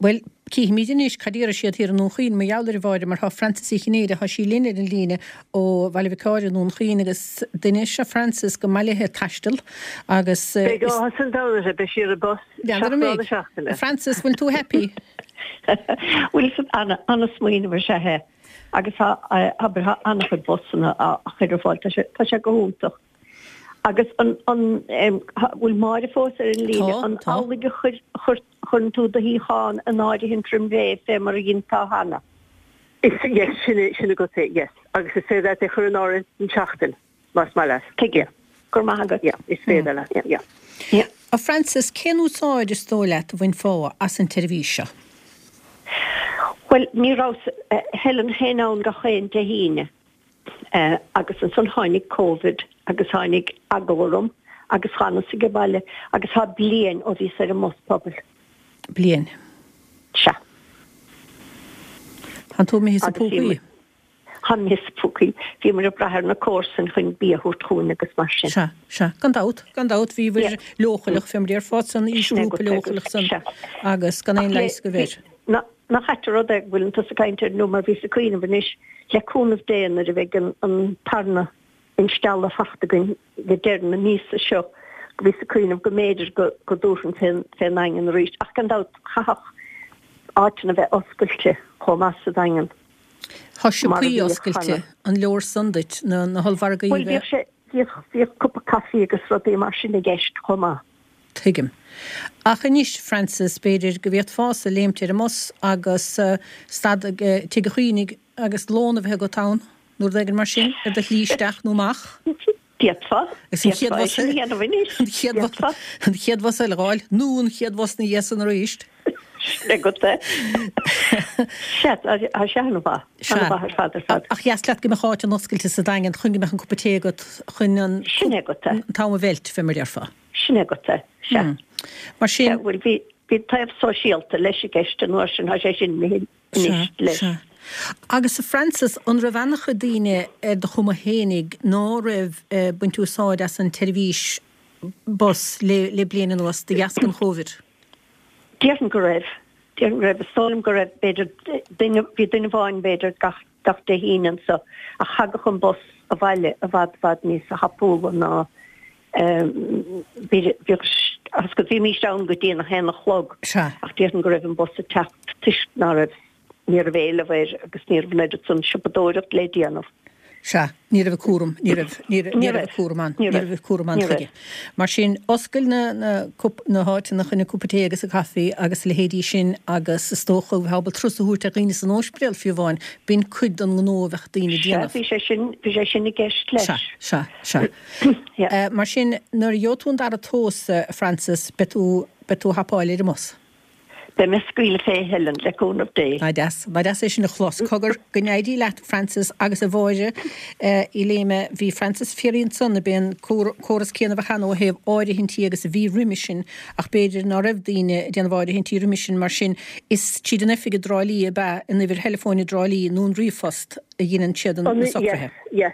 Speaker 1: Bhuel, cífimid anois cad a déarfaidh siad thiar i nDún Chaoin mar gheall air, a Mháire, mar tá Frances Uí Chinnéide, tá sí linn ar an líne ó Bhaile Mhic Ádhaimh i nDún Chaoin agus duine is ea Frances go maith léithe taisteal agus
Speaker 5: Beidh áthas an domhain uirthi, beidh sí ar an bus
Speaker 1: N'fheadar an
Speaker 5: 7 lá na
Speaker 1: mbeidh?
Speaker 5: seachtaine.
Speaker 1: Frances, bhfuil tú happy?
Speaker 6: Bhuel, is ana-smaoineamh is ea é agus tá, abair, tá an-chuid busanna á chur ar fáil, tá sé, tá sé go hiontach. Agus an, an, bhfuil Máire fós ar an líne?
Speaker 1: Tá,
Speaker 6: An
Speaker 1: tá.
Speaker 6: amhlaidh a chuir, chuir, chuireann tú do shuíochán in áirithint roim ré fé mar a dhéanfá cheana?
Speaker 5: Is, yes, sin é, sin agat é, yes. Agus is féidir leat é chur in áirithint don tseachtain, más maith leat.
Speaker 6: Tuige. Go raibh maith agat.
Speaker 5: Yeah, is féidir leat, yeah.
Speaker 6: Yeah.
Speaker 1: A Frances, cén úsáid is dóigh leat a bhainfeá as an tseirbhís seo?
Speaker 6: Bhuel, ní rabhas, Helen féin ann gach aon Dé hAoine. Agus ansan tháinig Covid agus tháinig eagla orm agus dh'fhanas age baile agus tá bliain ó bhíos ar an mbus pobail.
Speaker 1: Bliain.
Speaker 6: Sea.
Speaker 1: Tánn tú imithe sna púcaí?
Speaker 6: Táim imithe sna púcaí. Bhíomar ag brath ar na comharsain chun bia a thabhairt chugainn agus mar sin.
Speaker 1: Sea, sea. Gan dabht, gan dabht. Bhíobhair leochaileach, fé mar a déarfá, san aoisghrúpa leochaileach san agus gan aon leigheas agaibh air.
Speaker 6: Nach ait an rud é go bhfuileann tusa ag caint air nó mar bhíos ag cuimhneamh anois, le cúnamh Dé nuair a bheidh an tarna instealladh fachta againn le deireadh na míosa seo. Bhíos ag cuimhneamh go mb'fhéidir go go dtabharfainn fén fén nDaingean arís ach gan dabht chaithfeadh áiteanna bheith oscailte chomh maith sa Daingean
Speaker 1: Tá mar a siopaí bhíodh oscailte, cheana. an leor san duit, na na hollmhargaí
Speaker 6: a Bhuel bhíodh sé bhíodh bhíodh cupa caife agus rudaí mar sin i gceist chomh maith.
Speaker 1: Tuigim. Ach anois, Frances, b'fhéidir go bhféadfása léimt ar an mbus agus stad ag Tigh an Chaoinigh agus lón a bheith agat ann, nó rud éigin mar sin, ar do shlí isteach nó amach.
Speaker 6: D'fhéadfá. Agus an chéad
Speaker 1: bhus é sin a dhéanamh anois. An chéad bhus, an chéad bhus eile a dh'fháil, nó an chéad bhus ina dhiaidh san arís.
Speaker 6: Sin agat é. Sea, tá sé an-mhaith. An-mhaith ar fad ar fad.
Speaker 1: Ach dheas leat go mbeadh áit an oscailte sa Daingean chun go mbeadh an cupa tae agat chun an
Speaker 6: Sin agat é.
Speaker 1: an t-am a mheilt, fé mar a déarfá.
Speaker 6: Sin agat é. Sea.
Speaker 1: Mar sin.
Speaker 6: Sea, bhuel bhí, bhí taobh sóisialta leis i gceist an uair sin, tá sé sin imithe
Speaker 1: anois leis. Sea. Agus a Frances, an raibh ana-chuid daoine ar do chuma fhéinig ná raibh ag baint úsáid as an tseirbhís bus le le bliain anuas de dheasca an Chóivid?
Speaker 6: Déarfainn go raibh. Déarfainn go raibh. Is dóigh liom go raibh b'fhéidir duine, bhí duine amháin b'fhéidir gach, gach Dé hAoine anso ach thagadh an bus abhaile i bhfad, bhfad níosa thapúla ná bhí, bhíodh, agus go bhímíst ann go dtí an a haon a chlog ach déarfainn go raibh an bus ag teacht toisc ná raibh, ní raibh éileamh air agus ní raibh an oiread san siopadóireacht le déanamh.
Speaker 1: Sea, ní raibh an cúram, ní raibh, ní raibh, ní raibh an cúram ann, ní raibh an cúram ann chuige. Mar sin, oscail na, na, na háiteanna chun an cupa tae agus an caife agus a leithéidí sin agus is dócha bheith ábalta turas a thabhairt ar dhaoine san óispidéal fiú amháin, b'in cuid den ngnó a bheadh daoine
Speaker 6: ag déanamh. Sea, bhí sé sin, bhí sé sin i gceist leis.
Speaker 1: Sea, sea, sea. Mar sin, nuair a gheobhaidh tú an dara dós, a Frances, beidh tú, beidh tú ag hapáil ar an mbus.
Speaker 6: Beidh mé ag scaoileadh fé, Helen, le cúnamh Dé.
Speaker 1: Nach deas, nach deas é sin a chlos. Cogar, go n-éirí leat, Frances, agus a Mháire Uí Léime. Bhí Frances ag fiafraí ansan, ab é an córas céanna a bheadh ann ó thaobh áirithintí agus a bhí roimhe sin, ach b'fhéidir ná raibh daoine ag déanamh áirithintí roimhe sin, mar sin is tríd an oifig i dTrá Lí ab ea, an uimhir theileafóin i dTrá Lí nó an ríomhphost a dheineann siad na
Speaker 5: socruithe. Yes, yes.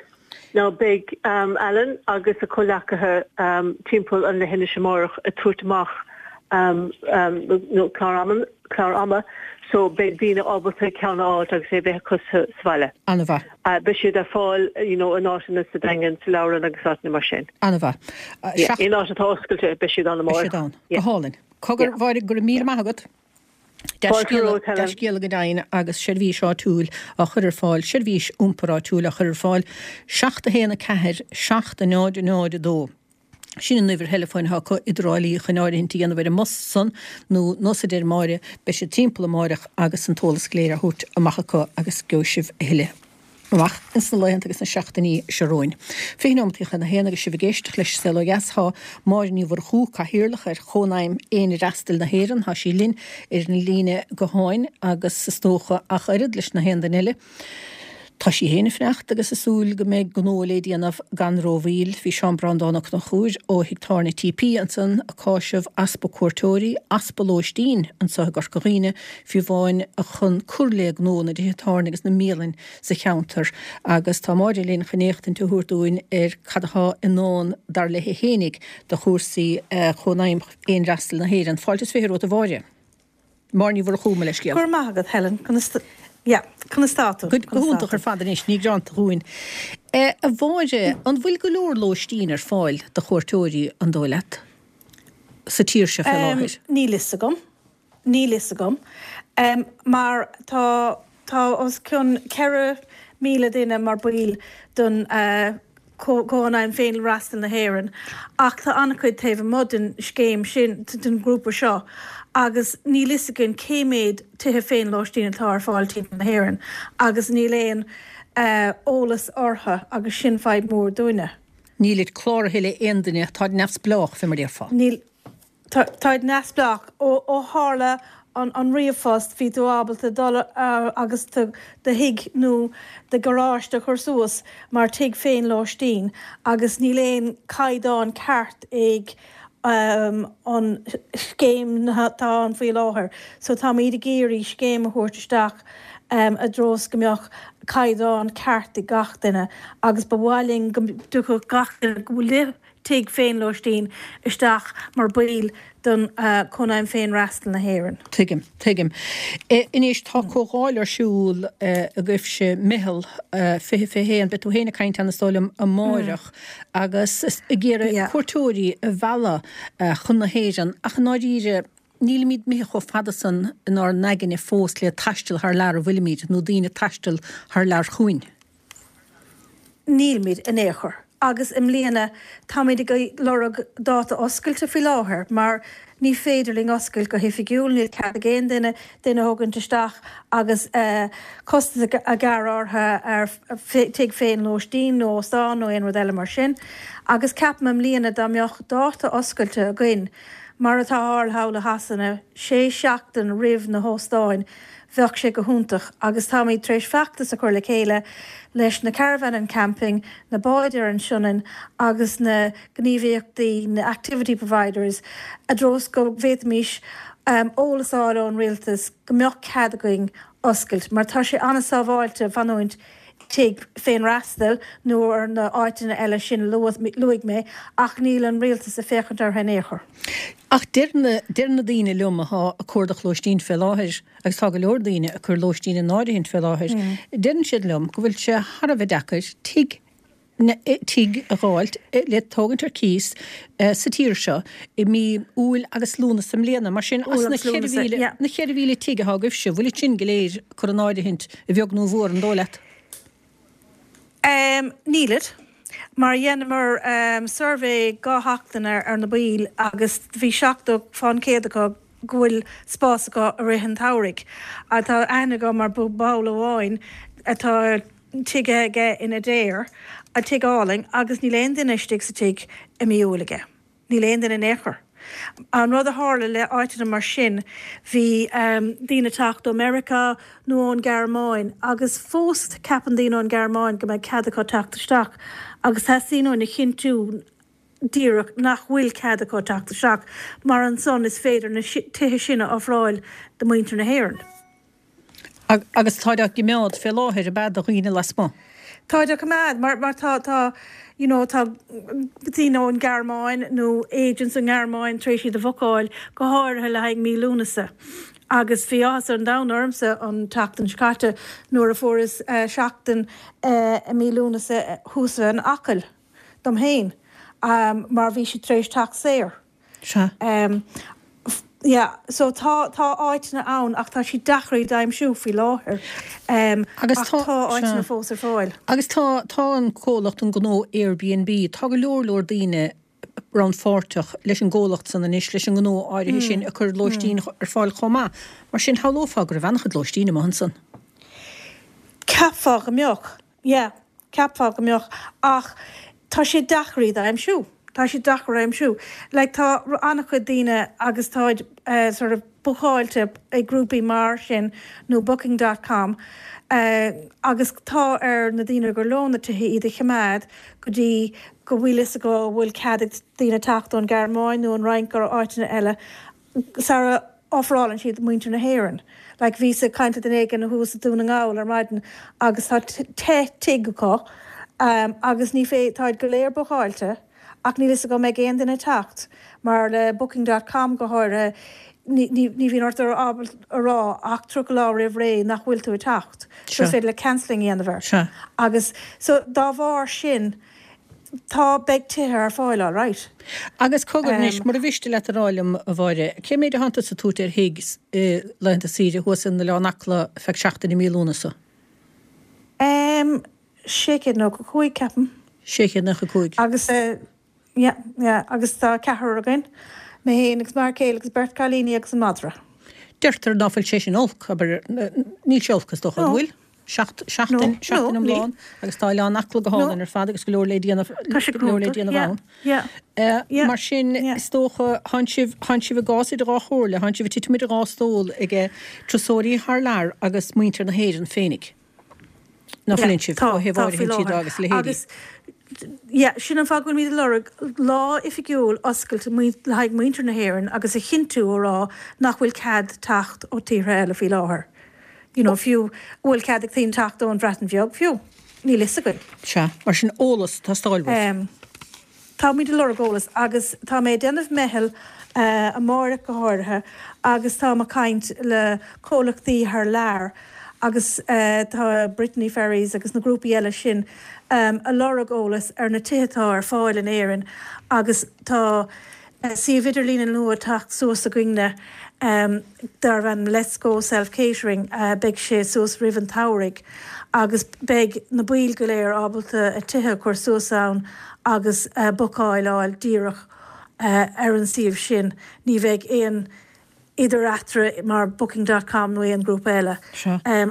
Speaker 5: Now beidh Alan agus a chomhleacaithe timpeall an leithinis amárach ag tabhairt amach nó clár clár ama so beidh daoine ábalta ceann a fháilt agus é bheith acu sa bhaile.
Speaker 1: An-mhaith.
Speaker 5: Beidh siad ar fáil you know in áiteanna sa Daingean, sa Leabharlann agus áiteanna mar sin.
Speaker 1: An-mhaith.
Speaker 5: Yeah, aon áit atá oscailte beidh siad ann
Speaker 1: amárach. Beidh siad ann. Go hálainn. Cogar, Mháire, go raibh míle maith agat. Dea-scéala go deimhin agus seirbhís áitiúil á chur ar fáil, seirbhís iompair áitiúil á chur ar fáil, 7 1 4 7 0 0 2. Sin an uimhir theileafóin atá acu i dTrá Lí chun áirithint a dhéanamh ar an mbus san nó nós a deir Máire, beidh siad timpeall amáireach agus an t-eolas go léir á thabhairt amach acu agus gheobhaidh sibh a thuilleadh. amach ins na laethanta agus na seachtainí seo romhainn. 20 nóimeataí chun a haon agus sibh ag éisteacht leis Saol Ó Dheas. Tá Máire Ní Mhurchú, Cathaoirleach ar Chónaidhm Féinfhreastail na hÉireann, tá sí linn ar an líne gutháin agus is dócha ach oiread leis na haon duine eile, tá sí féin ag fanacht agus ag súil go mbeidh gnó le déanamh gan rómhoill. Bhí Seán Breandán Ó Conchúir ó Thigh Tábhairne TP ansan ag cáiseamh easpa cuairteoirí, easpa lóistín anso i gCorca Dhuibhne, fiú amháin chun cur le gnó na dtithe tábhairne agus na mbialann sa cheantar agus tá Máire linn chun éachtaint a thabhairt dúinn ar cad atá i ndán dar léi fhéinig do chúrsaí Chónaidhm Fhéinfhreastail na hÉireann. Fáilte is 20 romhat a Mháire. Máire Ní Mhurchú, mo leithscéal.
Speaker 7: Go raibh maith agat Helen. Conas yeah, conas tá tú?
Speaker 1: Go hiontach ar fad anois, ní gearánta dhúinn. A Mháire, an bhfuil go leor lóistín ar fáil do chuairteoirí, an dóigh leat, sa tír seo fé láthair?
Speaker 7: Níl fhios agam. Níl fhios agam. Mar tá, tá os cionn 4,000 duine mar baill den Chónaidhm Féinfhreastail na hÉireann ach tá an-chuid taobh amuigh den scéim sin, den ghrúpa seo agus níl fhios againn cé méad tithe féinlóistín atá ar fáil timpeall na hÉireann agus níl aon eolas orthu agus sin fadhb mhór dúinne.
Speaker 1: Nílid cláraithe le aon duine, táid neamhspleách, fé mar déarfá.
Speaker 7: Níl. Táid neamhspleách. Ó tharla an ríomhphost, bhí tú ábalta dul agus do thigh nó do gharáiste a chur suas mar tigh féinlóistín agus níl aon caighdeán ceart ag an scéim atá ann faoi láthair. So táimid ag iarraidh scéim a thabhairt isteach i dtreo is go mbeadh caighdeán ceart ag gach duine agus ba mhaith linn go dtiocfadh gach duine go. tigh féinlóistín isteach mar baill don Cónaidhm Féinfhreastail na hÉireann.
Speaker 1: Tuigim, tuigim. Anois, tá comhdháil ar siúl agaibhse, Meitheal 2021, beidh tú féin ag caint ann is dóigh liom amáireach, agus ag iarraidh cuairteoirí a mhealladh chun na hÉireann, ach i ndáiríre, nílimid imithe chomh fada san inár n-aigne fós le taisteal thar lear, an bhfuilimid, nó daoine ag taisteal thar lear chugainn?
Speaker 7: Nílimid in aon chor. Agus i mbliana táimid ag lorg dáta oscailte faoi láthair mar ní féidir linn oscailt go hoifigiúil, níl cead ag aon duine duine a thógaint isteach agus costas a ghearradh orthu ar tigh féinlóistín nó óstán nó aon rud eile mar sin. Agus ceapaim i mbliana dá mbeadh dáta oscailte againn, mar atá thall i Shasana, sé seachtain roimh na hóstáin, Bheadh sé go hiontach agus táimid tar éis feachtas a chur le chéile leis na Caravan and Camping, na báid ar an Sionainn agus na gníomhaíochtaí, na activity providers, i dtreo is go bhféadfaimis eolas a fháil ón Rialtas go mbeadh cead againn oscailt mar tá sé an-sábháilte fanúint tigh féinfhreastail nó ar na áiteanna eile sin a luaigh mé ach níl an Rialtas ag féachaint orthu in aon chor.
Speaker 1: Ach deir na, deir na daoine liom athá ag cuardach lóistín fé láthair, agus tá go leor daoine ag cur lóistín in áirithint fé láthair, deireann siad liom go bhfuil sé thar a bheith deacair tigh, tigh a dh'fháilt le tógaint ar cíos sa tír seo i mí Iúil agus Lúnasa i mbliana. Mar sin, as na 4,000, na 4,000 tigh athá agaibhse, bhfuil iad sin go léir curtha in áirithint, a bheag nó a mhór, an dóigh leat?
Speaker 7: Nílid. Mar dheineamar suirbhé dhá sheachtain ar na baill agus bhí 70% acu go bhfuil spás acu i rith an tsamhraidh. Tá aithne agam ar ball amháin atá tigh aige in Adare, tigh álainn, agus níl aon duine istigh sa tigh i mí Iúil aige. Níl aon duine in aon chor. An rud a tharla le áiteanna mar sin, bhí daoine ag teacht ó Meiriceá nó ón Ghearmáin agus fós ceapann daoine ón Ghearmáin go mbeidh cead acu teacht isteach agus teastaíonn uainn a chinntiú díreach nach bhfuil cead acu teacht isteach mar ansan is féidir na tithe sin a ofráil do mhuintir na hÉireann.
Speaker 1: Agus táid á gcimeád fé láthair, ab ea, do dhaoine lasmuigh?
Speaker 7: Táid á gcoimeád, mar, mar tá, tá, you know, tá daoine ón nGearmáin nó agents ón nGearmáin tar éis iad a bhookáil, go háirithe le haghaidh mí Lúnasa. Agus bhí áthas an domhain ormsa an tseachtain seo caite nuair a fuaireas seachtain i mí Lúnasa thuas in Acaill dom féin, mar bhí siad tar éis teacht saor.
Speaker 1: Sea.
Speaker 7: Yeah, so tá, tá áiteanna ann ach tá siad deacair iad a aimsiú faoi láthair.
Speaker 1: Agus
Speaker 7: tá, tá áiteanna fós ar fáil.
Speaker 1: Agus tá, tá an comhlacht, an gnó Airbnb, tá go leor leor daoine rannpháirteach leis an gcomhlacht san anois, leis an ngnó áirithe sin ag cur lóistín ar fáil chomh maith. Mar sin, shamhlófá go raibh an-chuid lóistín amuigh ansan.
Speaker 7: Cheapfá go mbeadh. Yeah, cheapfá go mbeadh, ach tá sé deacair iad a aimsiú. Tá siad deacair a aimsiú. Like tá an-chuid daoine agus táid sort of bookáilte ag grúpaí mar sin nó booking dot com agus tá ar na daoine gur leo na tithe iad a choimeád go dtí go bhfuil fhios acu go bhfuil cead ag daoine teacht ón Ghearmáin nó an Fhrainc nó áiteanna eile sara ofrálann siad muintir na hÉireann. Like bhíos ag caint le duine éigin thuas i Dún na nGall ar maidin agus tá 10 tigh acu agus ní fé, táid go léir bookáilte ach níl fhios acu an mbeidh aon duine ag teacht mar le booking dot com go háirithe ní, ní, ní bhíonn ort ábalta a rá ach 30 lá roimh ré nach bhfuil tú ag teacht. So is féidir le cancelling a dhéanamh air. Agus so dá bharr sin Tá, beidh tithe ar fáil all right.
Speaker 1: Agus cogar anois, mura mhiste leat a rá liom, a Mháire, cé méid a thánn tusa ag tabhairt ar thigh i laethanta saoire thuas in Oileán Acla feadh seachtain i mí Lúnasa?
Speaker 7: Em, 695, ceapaim.
Speaker 1: 695.
Speaker 7: Agus, yeah, yeah, agus tá ceathrar againn, mé féin agus m'fhear céile agus beirt cailíní agus an madra.
Speaker 1: Deirtear ná fuil sé sin olc, abair, níl sé olc is dócha, an bhfuil? Seachtain, seachtain iomlán agus tá Oileán Acla go hálainn ar fad agus go leor le déanamh, go leor le déanamh ann. Mar sin, is dócha, thánn sibh, thánn sibh i gcás idir dhá chomhairle, thánn sibh ag titim idir dhá stól ag turasóirí thar lear agus muintir na hÉireann féinig. Ná fuileann sibh, ó thaobh áirithintí de agus a leithéidí.
Speaker 7: Yeah, sin an fáth go bhfuilimid ag lorg lá oifigiúil oscailte le haghaidh muintir na hÉireann agus a chinntiú a rá nach bhfuil cead teacht ó tíortha eile faoi láthair. You know, fiú, an bhfuil cead ag daoine teacht ón Bhreatain Bheag fiú? Níl fhios againn.
Speaker 1: Sea, mar sin eolas ag teastáil uaibh.
Speaker 7: Táimid ag lorg eolas agus tá mé ag déanamh meitheal amáireach go háirithe agus táim ag caint le comhlachtaí thar lear agus tá Brittany Ferries agus na grúpaí eile sin ag lorg eolas ar na tithe atá ar fáil in Éirinn agus tá suíomh idirlíne nua ag teacht suas againne darb ainm Let's Go Self Catering. Beidh sé suas roimh an tsamhraidh agus beidh na baill go léir ábalta a tithe a chur suas ann agus bookáil a fháil díreach ar an suíomh sin. Ní bheidh aon idir eatarthu mar Booking dot com nó aon grúpa eile.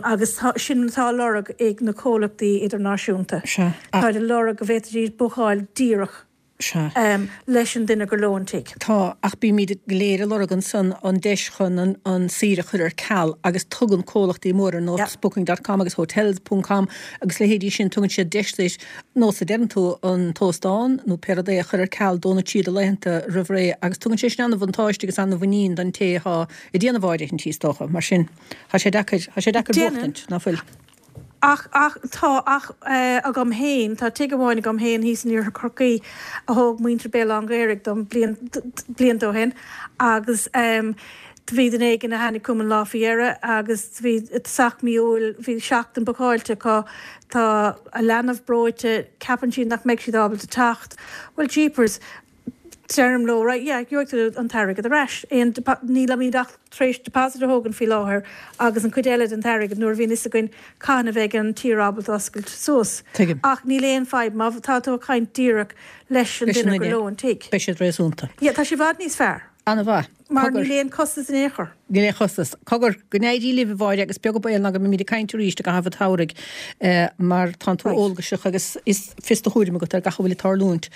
Speaker 7: Agus sin atá á lorg ag na comhlachtaí idirnáisiúnta. Táid ag lorg go bhféadfaidís bookáil díreach leis an duine gur leo an tigh.
Speaker 1: Tá, ach bímid go léir ag lorg ansan an deis chun an saoire a chur ar ceal agus tugann comhlachtaí móra ar nós Booking dot com agus Hotels ponc com agus leithéidí sin, tugann siad deis duit, nós a deireann tú, an t-óstán nó pé rud é a chur ar ceal do na tríocha laethanta roimh ré agus tugann sé sin an-bhuntáiste agus an-mhuinín don té atá ag déanamh áirithintí is dócha. Mar sin, tá sé deacair, tá sé deacair
Speaker 7: buachtaint, ná fuil? Ach, ach, tá, ach agam féin, tá tigh amháin agam féin thíos in Iarthar Chorcaí a thóg muintir Béal Átha an Ghaorthaidh dom bliain, blianta ó shin agus do bhí duine éigin a tháinig chugam an lá faoi dheireadh agus bhí i dtosach mí Iúil, bhí seachtain bookáilte acu, tá a leanbh breoite, ceapann siad nach mbeidh siad ábalta teacht. Well jeepers, deirim leo, right, yeah, gheobhaidh tú an t-airgead ar ais. Aon, nílimid ach tar éis deposit a thógaint faoi láthair agus an chuid eile den t-airgead nuair a bhíonn fhios againn cathain a bheidh an tír ábalta oscailt suas.
Speaker 1: Tuigim.
Speaker 7: Ach níl aon fadhb má tá tú ag caint díreach leis an duine gur leo an tigh.
Speaker 1: Beidh siad réasúnta.
Speaker 7: Yeah, tá sé i bhfad níos fearr.
Speaker 1: An-mhaith.
Speaker 7: Mar níl aon costas in aon chor.
Speaker 1: Níl aon chostas. Cogar, go n-éirí libh, a Mháire, agus beag an baol ná go mbeimid ag caint arís i gcaitheamh an tsamhraidh mar tánn tú eolgaiseach agus is fios do thuairim agat ar gach a bhfuil ag tarlúint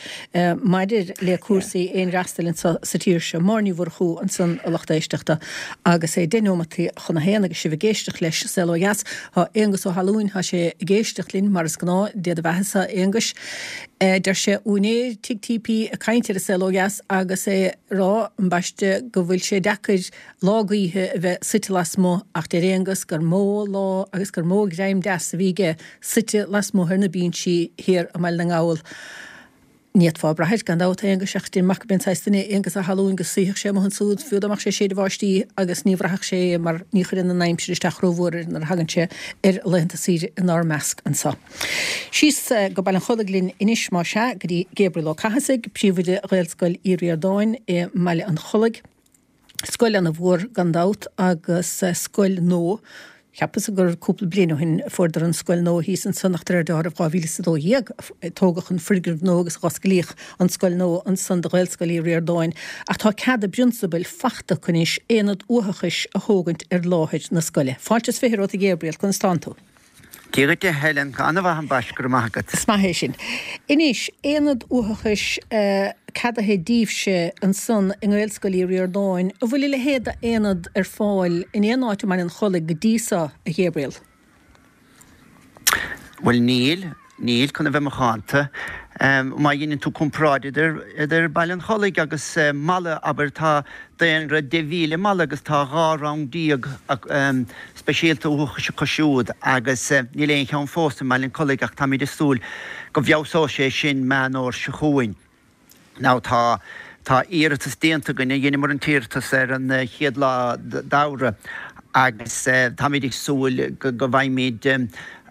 Speaker 1: maidir le cúrsaí aonfhreastail anso sa tír seo. Máire Ní Mhurchú ansan, a lucht éisteachta, agus é deich neomataí chun a haon agus sibh ag éisteacht leis Saol Ó Dheas. Tá Aonghus Ó hAlúin, tá sé ag éisteacht linn mar is gnáth, Dé do bheathasa, a Aonghuis. Deir sé, úinéir Tigh TP ag caint ar an Saol Ó Dheas agus é rá, ambaiste, go bhfuil sé deacair lá gaoithe a bheith suite lasmuigh ach deir Aonghus gur mó lá agus gur mó greim deas a bhí aige suite lasmuigh ar na binsí thiar i mBaile na nGall. Ní fhéadfá brath air, gan dabht, a Aonghuis, ach deirim amach gurb é an saghas duine é Aonghus Ó hAlúin go suífeadh sé amuigh ansúd, fiú dá mbeadh sé ag séideadh báistí agus ní bhraithfeadh sé é mar ní chuireann an aimsir isteach rómhór air nuair a thagann sé ar laethanta saoire inár measc anso. Síos go Baile an Chollaigh linn anois, más ea, go dtí Gabriel Ó Cathasaigh, príomhoide Ghaelscoil Uí Ríordáin i mBaile an Chollaigh. Scoil ana-mhór gan dabht agus scoil nua. Cheapas gur cúpla bliain ó shin a fuaireadar an scoil nua thíos ansan ach de réir dealraimh 2012 a tógadh an foirgneamh nua agus a dh'osclaíodh an scoil nua ansan do Ghaelscoil Uí Ríordáin. Ach tá cead i bprionsabail fachta acu anois aonad uathachais a thógaint ar láthair na scoile. Fáilte is fiche romhat a Ghabriel, conas tánn tú?
Speaker 8: Dia dhuit a Helen, an-mhaith ambaiste, go raibh maith agat.
Speaker 1: Is maith é sin. Anois, aonad uathachais ceadaithe daoibhse ansan i nGaelscoil Uí Ríordáin, an bhfuil a leithéid d'aonad ar fáil in aon áit i mBaile an Chollaigh go dtí so, a Ghabriel?
Speaker 8: Bhuel níl, níl, chun a bheith macánta. Má dheineann tú comparáid idir, idir Baile an Chollaigh agus Mala, abair, tá daonra 10,000 i Mala agus tá 12 rang speisialta uathachais acu siúd agus níl aon cheann fós i mBaile an Chollaigh ach táimid ag súil go bhfeabhsóidh sé sin Meán Fhómhair seo chugainn. Now tá tá iarratas déanta againn, dheineamar an t-iarratas ar an chéad lá d'Fheabhra agus táimid ag súil go bhfaighimid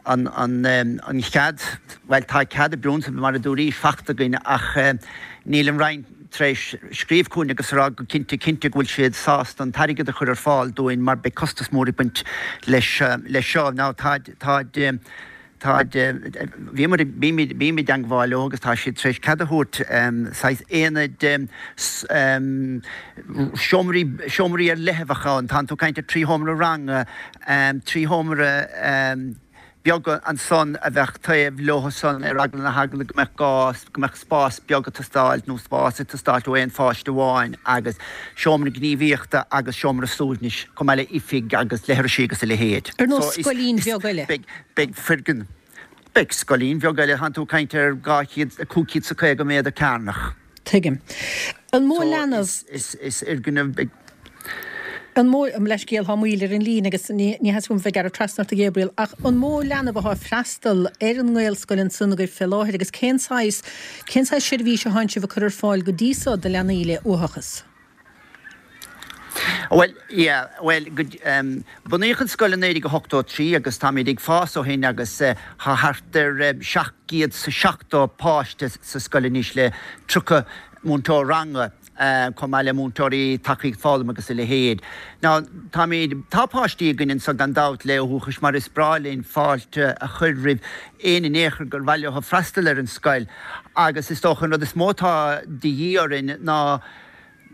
Speaker 8: an an chead, bhuel tá cead i bprionsabal mar a dúraís fachta againn ach níl an Roinn tar éis scríobh chugainn agus a rá go cinnte cinnte go bhfuil siad sásta an t-airgead a chur ar fáil dúinn mar beidh costas mór ag baint leis leis seo. Now tá tá tá bhíomar bímid bím i dteangmháil leo agus tá siad tar éis cead a thabhairt saghas aonaid seomraí seomraí ar leith a bheadh ann. Tánn tú ag caint ar 3 sheomra ranga, 3 sheomra beaga ansan a bheadh taobh leo san ar eagla na heagla go mbeadh gá, go mbeadh spás beag ag teastáilt nó spás ag teastáilt ó aon pháiste amháin agus seomra gníomhaíochta agus seomra suaimhnis chomh maith le oifig agus leithrisí agus a leithéid.
Speaker 1: Ar nós scoilín bheag eile.
Speaker 8: Beidh, beidh foirgneamh, beidh scoilín bheag eile, tánn tú ag caint ar 200, 550 méadar cearnach.
Speaker 1: Tuigim. An mó leanbh.
Speaker 8: So is, is, is fhoirgneamh beag.
Speaker 1: An mó, mo leithscéal, tá moill ar an líne agus ní theastaíonn uaim bheith ag gearradh trasna ort a Ghabriel, ach an mó leanbh athá ag freastal ar an nGaelscoil ansan agaibh fé láthair agus cén saghas, cén saghas seirbhís athánn sibh ag cur ar fáil go dtí so do leanaí le uathachas?
Speaker 8: Bhuel, yeah, bhuel, go, em, bunaíodh an scoil i 1983 agus táimid ag fás ó shin agus tá thart ar 770 páiste sa scoil anois le 30 múinteoir ranga, chomh maith le múinteoirí tacaíocht foghlama agus a leithéid. Now, táimid, tá páistí againn anseo gan dabht le uathachas mar is breá linn fáilte a chur roimh éinne in aon chor gur mhaith leo freastal ar an scoil agus is dócha an rud is mó atá de dhíth orainn ná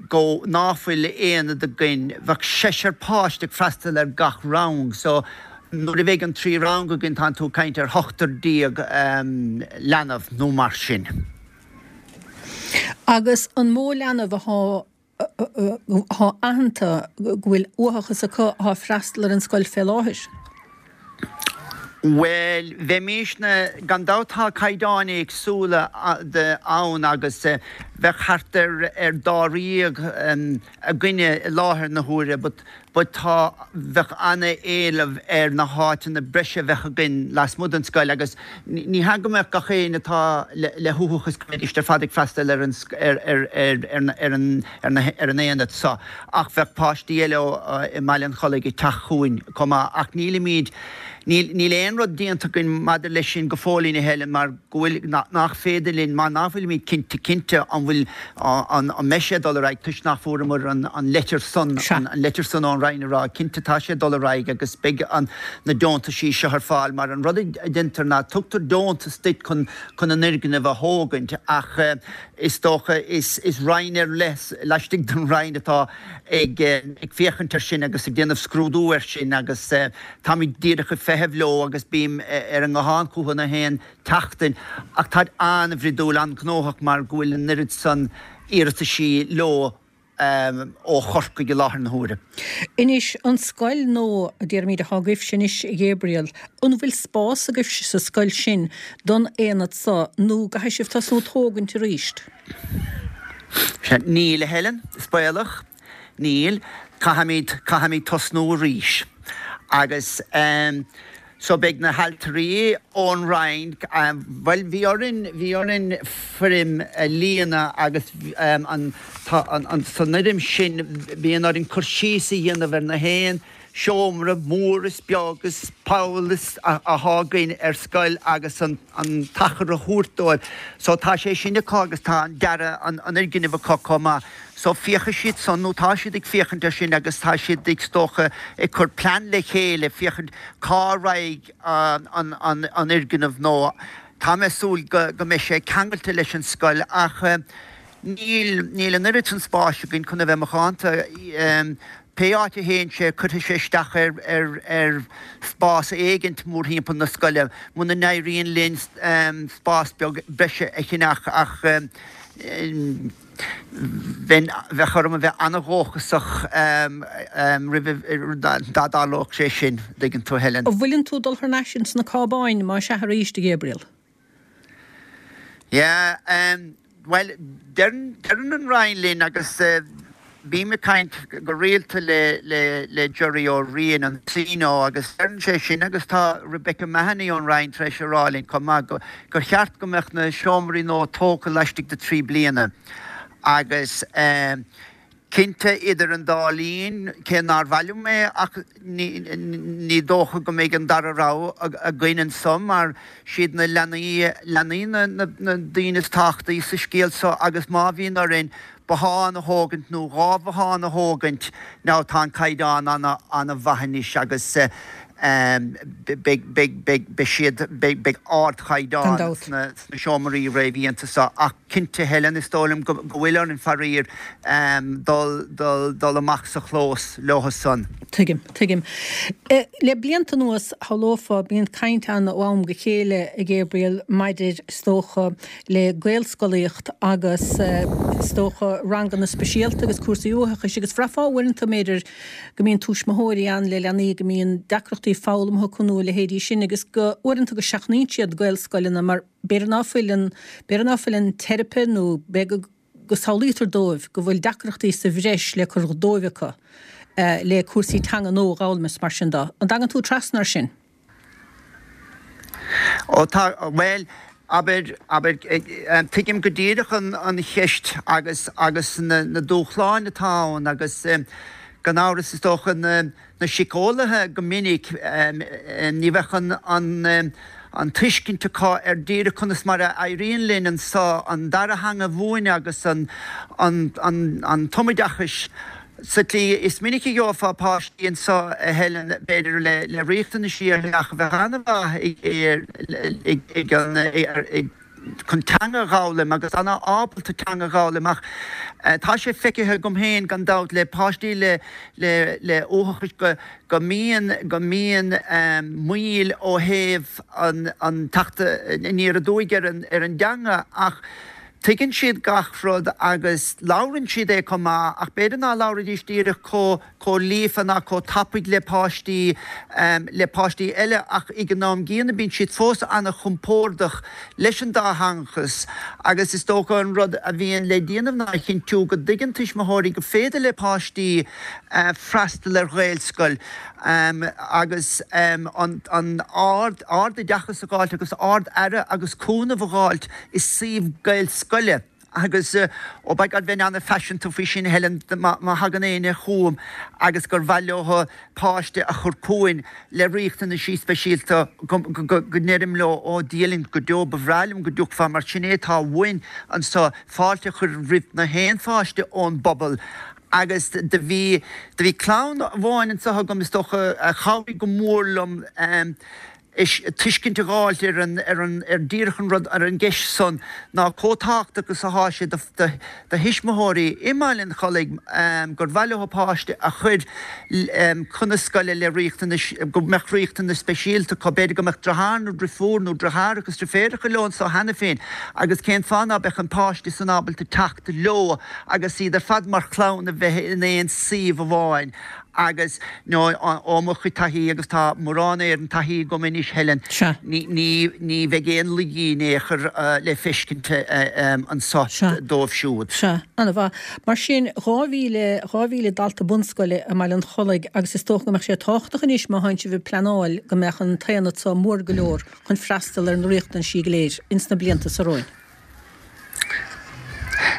Speaker 8: go ná fuil aonad againn, bheadh seisear páiste ag freastal ar gach rang so nuair a bheidh an 3 rang againn tánn tú ag caint ar ochtar déag leanbh nó mar sin.
Speaker 1: Agus an mó leanbh athá athá aitheanta go bhfuil uathachas acu athá ag freastal ar an scoil fé láthair?
Speaker 8: Bhuel, bheimisne, gan dabht tá caighdeáin éagsúla ann agus bheadh thart ar dáréag againne i láthair na huaire but but tá, bheadh an-éileamh ar na háiteanna breise a bheadh againn lasmuigh den scoil agus ní hea go mbeadh gach éinne atá le huathachas go mbeidís ar fad ag freastal ar an ar ar ar ar an ar an aonad seo ach bheadh páistí eile i mBaile an Chollaigh ag teacht chugainn chomh maith ach nílimid, níl, níl aon rud déanta againn maidir leis sin go fóillín a Helen mar go bhfuil, nach féidir linn, mar nach bhfuilimid cinnte cinnte an bhfuil, an mbeidh sé ag dul ar aghaidh toisc nach bhfuaireamar an, an leitir san, an leitir san ón Roinn ag rá cinnte tá sé ag dul ar aghaidh agus beidh an, na deontaisí seo ar fáil mar an rud a deintear ná tugtar deontas duit chun, chun an fhoirgneamh a thógaint ach Is dócha, is roinn ar leith laistigh den Roinn atá ag féachaint air sin agus ag déanamh scrúdú air sin agus táimid díreach ag feitheamh leo agus bím ar an nguthán chucu na haon tseachtain ach táid an-bhruidiúil, an-ghnóthach mar go bhfuil an oiread san iarrataisí leo ó Chorcaigh i láthair na huaire.
Speaker 1: Anois, an scoil nua, a déarfaimid, atá agaibhse anois, a Ghabriel, an bhfuil spás agaibhse sa scoil sin don aonad so nó gcaithfidh sibh tosnú ag tógaint arís?
Speaker 8: Sea, níl, a Helen, is baolach, níl. Caithfimid, caithfimid tosnú arís. Agus eh. So beidh na hailtirí ón Roinn, bhuel bhí orainn, bhí orainn foirm a líonadh agus an, tá an, san fhoirm sin bíonn orainn cur síos a dhéanamh ar na haon seomra mór is beag is poll is athá againn ar scoil agus an, an t-achar a thabhairt dóibh. So tá sé sin acu agus tá an dearadh an, an fhoirgnimh acu chomh maith. So féachfaidh siad san, nó tá siad ag féachaint air sin agus tá siad is dócha ag cur plean le chéile féachaint cá raghaidh an fhoirgneamh nua. Tá mé ag súil go mbeidh sé ceangailte leis an scoil ach níl, níl an oiread san spáis againn chun a bheith macánta. Pé áit a théann sé cuirfidh sé isteach ar, ar, ar spás éigint mórthimpeall na scoile muna n-éiríonn linn spás beag breise a cheannach ach Bheinn, bheadh orm a bheith an-dhóchasach roimh dá dtarlódh sé sin, an dtuigeann tú, Helen.
Speaker 1: An bhfuileann tú ag dul thar n-ais ins na cábáin, más ea arís, a Ghabriel?
Speaker 8: Yeah, bhuel, deireann, deireann an Roinn linn agus Bím ag caint go rialta le Gerry Ó Riain, an CNO, agus deireann sé sin, agus tá Rebecca Mahony ón Roinn tar éis a rá linn chomh maith, gur cheart go mbeadh na seomraí nua tógtha laistigh de thrí bliana. Agus cinnte, idir an dá linn, cé nár mhaith liom é, ach ní dócha go mbeidh an dara rogha againn anso mar siad na leanaí, leanaí na daoine is tábhachtaí sa scéal seo agus má bhíonn orainn bothán a thógaint nó 2 bhothán a thógaint now tá an caighdeán ana ana mhaith anois agus beidh beidh beidh beidh siad beidh beidh
Speaker 1: ardchaighdeán
Speaker 8: Gan dabht. sna sna seomraí réamhdhéanta seo ach cinnte Helen is dóigh liom go go bhfuil orainn faraor dul dul dul amach sa chlós leo san.
Speaker 1: Tuigim, tuigim. Le blianta anuas, shamhlófá, bíonn caint ann ó am go chéile, a Ghabriel, maidir, is dócha, le Gaelscolaíocht agus is dócha ranganna speisialta agus cúrsaí uathachais agus bhraithfeá uaireanta, b'fhéidir, go mbíonn tuismitheoirí ann le leanaí go mbíonn deacrachtaí foghlamtha acu nó a leithéidí sin agus go uaireanta go seachnaíonn siad Gaelscoileanna mar b'fhéidir ná fuil an, b'fhéidir ná fuil an teiripe nó b'fhéidir go samhlaítear dóibh go bhfuil deacrachtaí sa bhreis le cur dóibh acu. le cúrsaí teanga nua a dh'fhoghlaim is mar sin de. An dtagann tú trasna ar sin?
Speaker 8: Ó tá, bhuel, abair, abair, tuigim go díreach an cheist agus, agus na dúshláin atá ann agus gan amhras is dócha na, na síceolaithe go minic ní bheadh an, an tuiscint acu ar díreach conas mar a éiríonn linn anso an dara theanga a mhúineadh agus an, an, an, an tumoideachais Sa tslí is minic a gheofá páistí anso, a Helen, b'fhéidir le le riachtanaisí ar leith ach a bheadh an-mhaith ag an ag chun teanga a dh'fhoghlaim agus an-ábalta teanga a dh'fhoghlaim ach tá sé feicthe agam féin gan dabht le páistí le le le uathachas go go mbíonn go mbíonn moill ó thaobh an an teacht aniar aduaidh ar an ar an dteanga ach Tuigeann siad gach rud agus labhrann siad é chomh maith ach b'fhéidir ná labhraídís díreach chomh, chomh líofa ná chomh tapaidh le páistí, le páistí eile ach ag an am gcéanna bíonn siad fós an-chompordach leis an dátheangachas agus is dócha an rud a bhíonn le déanamh ná a chinntiú go dtuigeann tuismitheoirí go féidir le páistí freastal ar Ghaelscoil agus an, an ard, ardoideachas a dh'fháilt agus ard-aire agus cúnamh a dh'fháilt i suíomh Gaelscoile agus, oh by God, bheinn an-phaiseanta faoi sin, Helen, má thagann éinne chugam agus gur mhaith leo páiste a chur chugainn le riachtanaisí speisialta go ndeirim leo, ó Dia linn go deo, ba bhreá liom go dtiocfá mar sin é atá uainn anso, fáilte a chur roimh na haon pháiste ón bpobal agus do bhí, do bhí clann amháin anso agam is dócha a chabhraigh go mór liom, is tuiscint a dh'fháilt ar an, ar an, ar díreach an rud, ar an gceist san ná chomh tábhachtach is athá sé do, do, do thuismitheoirí i mBaile an Chollaigh gur mhaith leo páiste a chur chun na scoile le riachtanais, go mbeadh riachtanais speisialta acu, b'fhéidir go mbeadh driotháir nó driofúr nó driotháireacha is driféaracha leo anso cheana féin agus cén fáth ná beadh an páiste san ábalta teacht leo agus iad ar fad mar chlann a bheith in aon suíomh amháin. Agus, nó, ó mo chuid taithí, agus tá mórán Éireann taithí agam anois, Helen,
Speaker 1: Sea.
Speaker 8: ní, ní, ní bheidh aon laigí in aon chor le feiscint anso
Speaker 1: Sea.
Speaker 8: dóibh siúd.
Speaker 1: Sea. Ana-mhaith. Mar sin, 2,000, 2,000 dalta bunscoile i mBaile an Chollaigh agus is dócha go mbeadh sé tábhachtach anois má thánn sibh ag pleanáil go mbeadh an t-aonad so mór go leor chun freastal ar na riachtanaisí go léir ins na blianta so romhainn.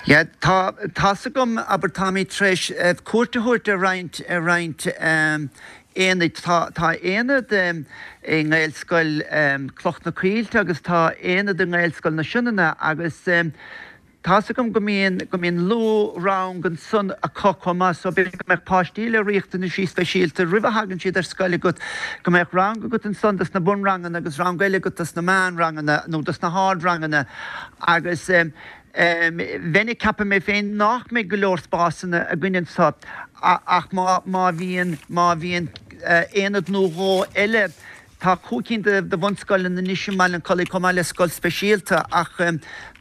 Speaker 8: Yeah, tá, tá's agam, abair, táimid tar éis cuairt a thabhairt ar roinnt, ar roinnt aonaid. Tá, tá aonad i nGaelscoil Cloch na Coillte agus tá aonad i nGaelscoil na Sionainne agus tá's agam go mbíonn, go mbíonn luathrang ansan acu chomh maith so b'fhéidir go mbeadh páistí le riachtanaisí speisialta roimh a thagann siad ar scoil agat, go mbeadh rang agat ansan dos na bunranganna agus rang eile agat dos na meánranganna nó dos na hardranganna. Agus bheinn ag ceapadh mé féin nach mbeidh go leor spásanna againn anso ach má, má bhíonn, má bhíonn aonad nó dhó eile, tá chúig cinn de bhunscoileanna anois i mBaile an Chollaigh chomh maith le scoil speisialta ach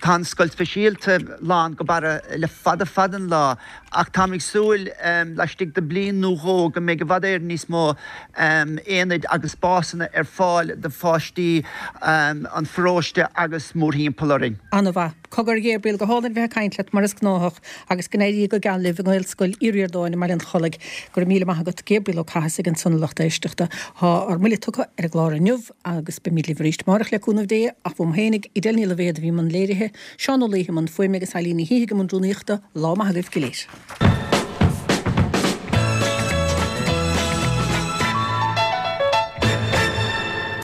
Speaker 8: tá an scoil speisialta lán go barra le fada fada an lá ach táim ag súil laistigh de bliain nó dhó go mbeidh i bhfad Éireann níos mó aonaid agus spásanna ar fáil do pháistí an pharóiste agus mórthimpeall orainn.
Speaker 1: Ana-mhaith. Cogar, a Ghabriel, go hálainn bheith ag caint leat mar is gnáthach agus go n-éirí go geal libh i nGaelscoil Uí Ríordáin i mBaile an Chollaigh. Go raibh míle maith agat. Gabriel Ó Cathasaigh ansan a lucht éisteachta. Tá ár mbuille tugtha ar an gclár inniu agus beimid libh arís amárach le cúnamh Dé ach uaim fhéinig, Edel Ní Loibhéad a bhí i mbun léirithe, Seán Ó Laoithe i mbun fuaime agus Eilín Ní Shíthigh i mbun rúnaíochta. Lá maith agaibh go léir.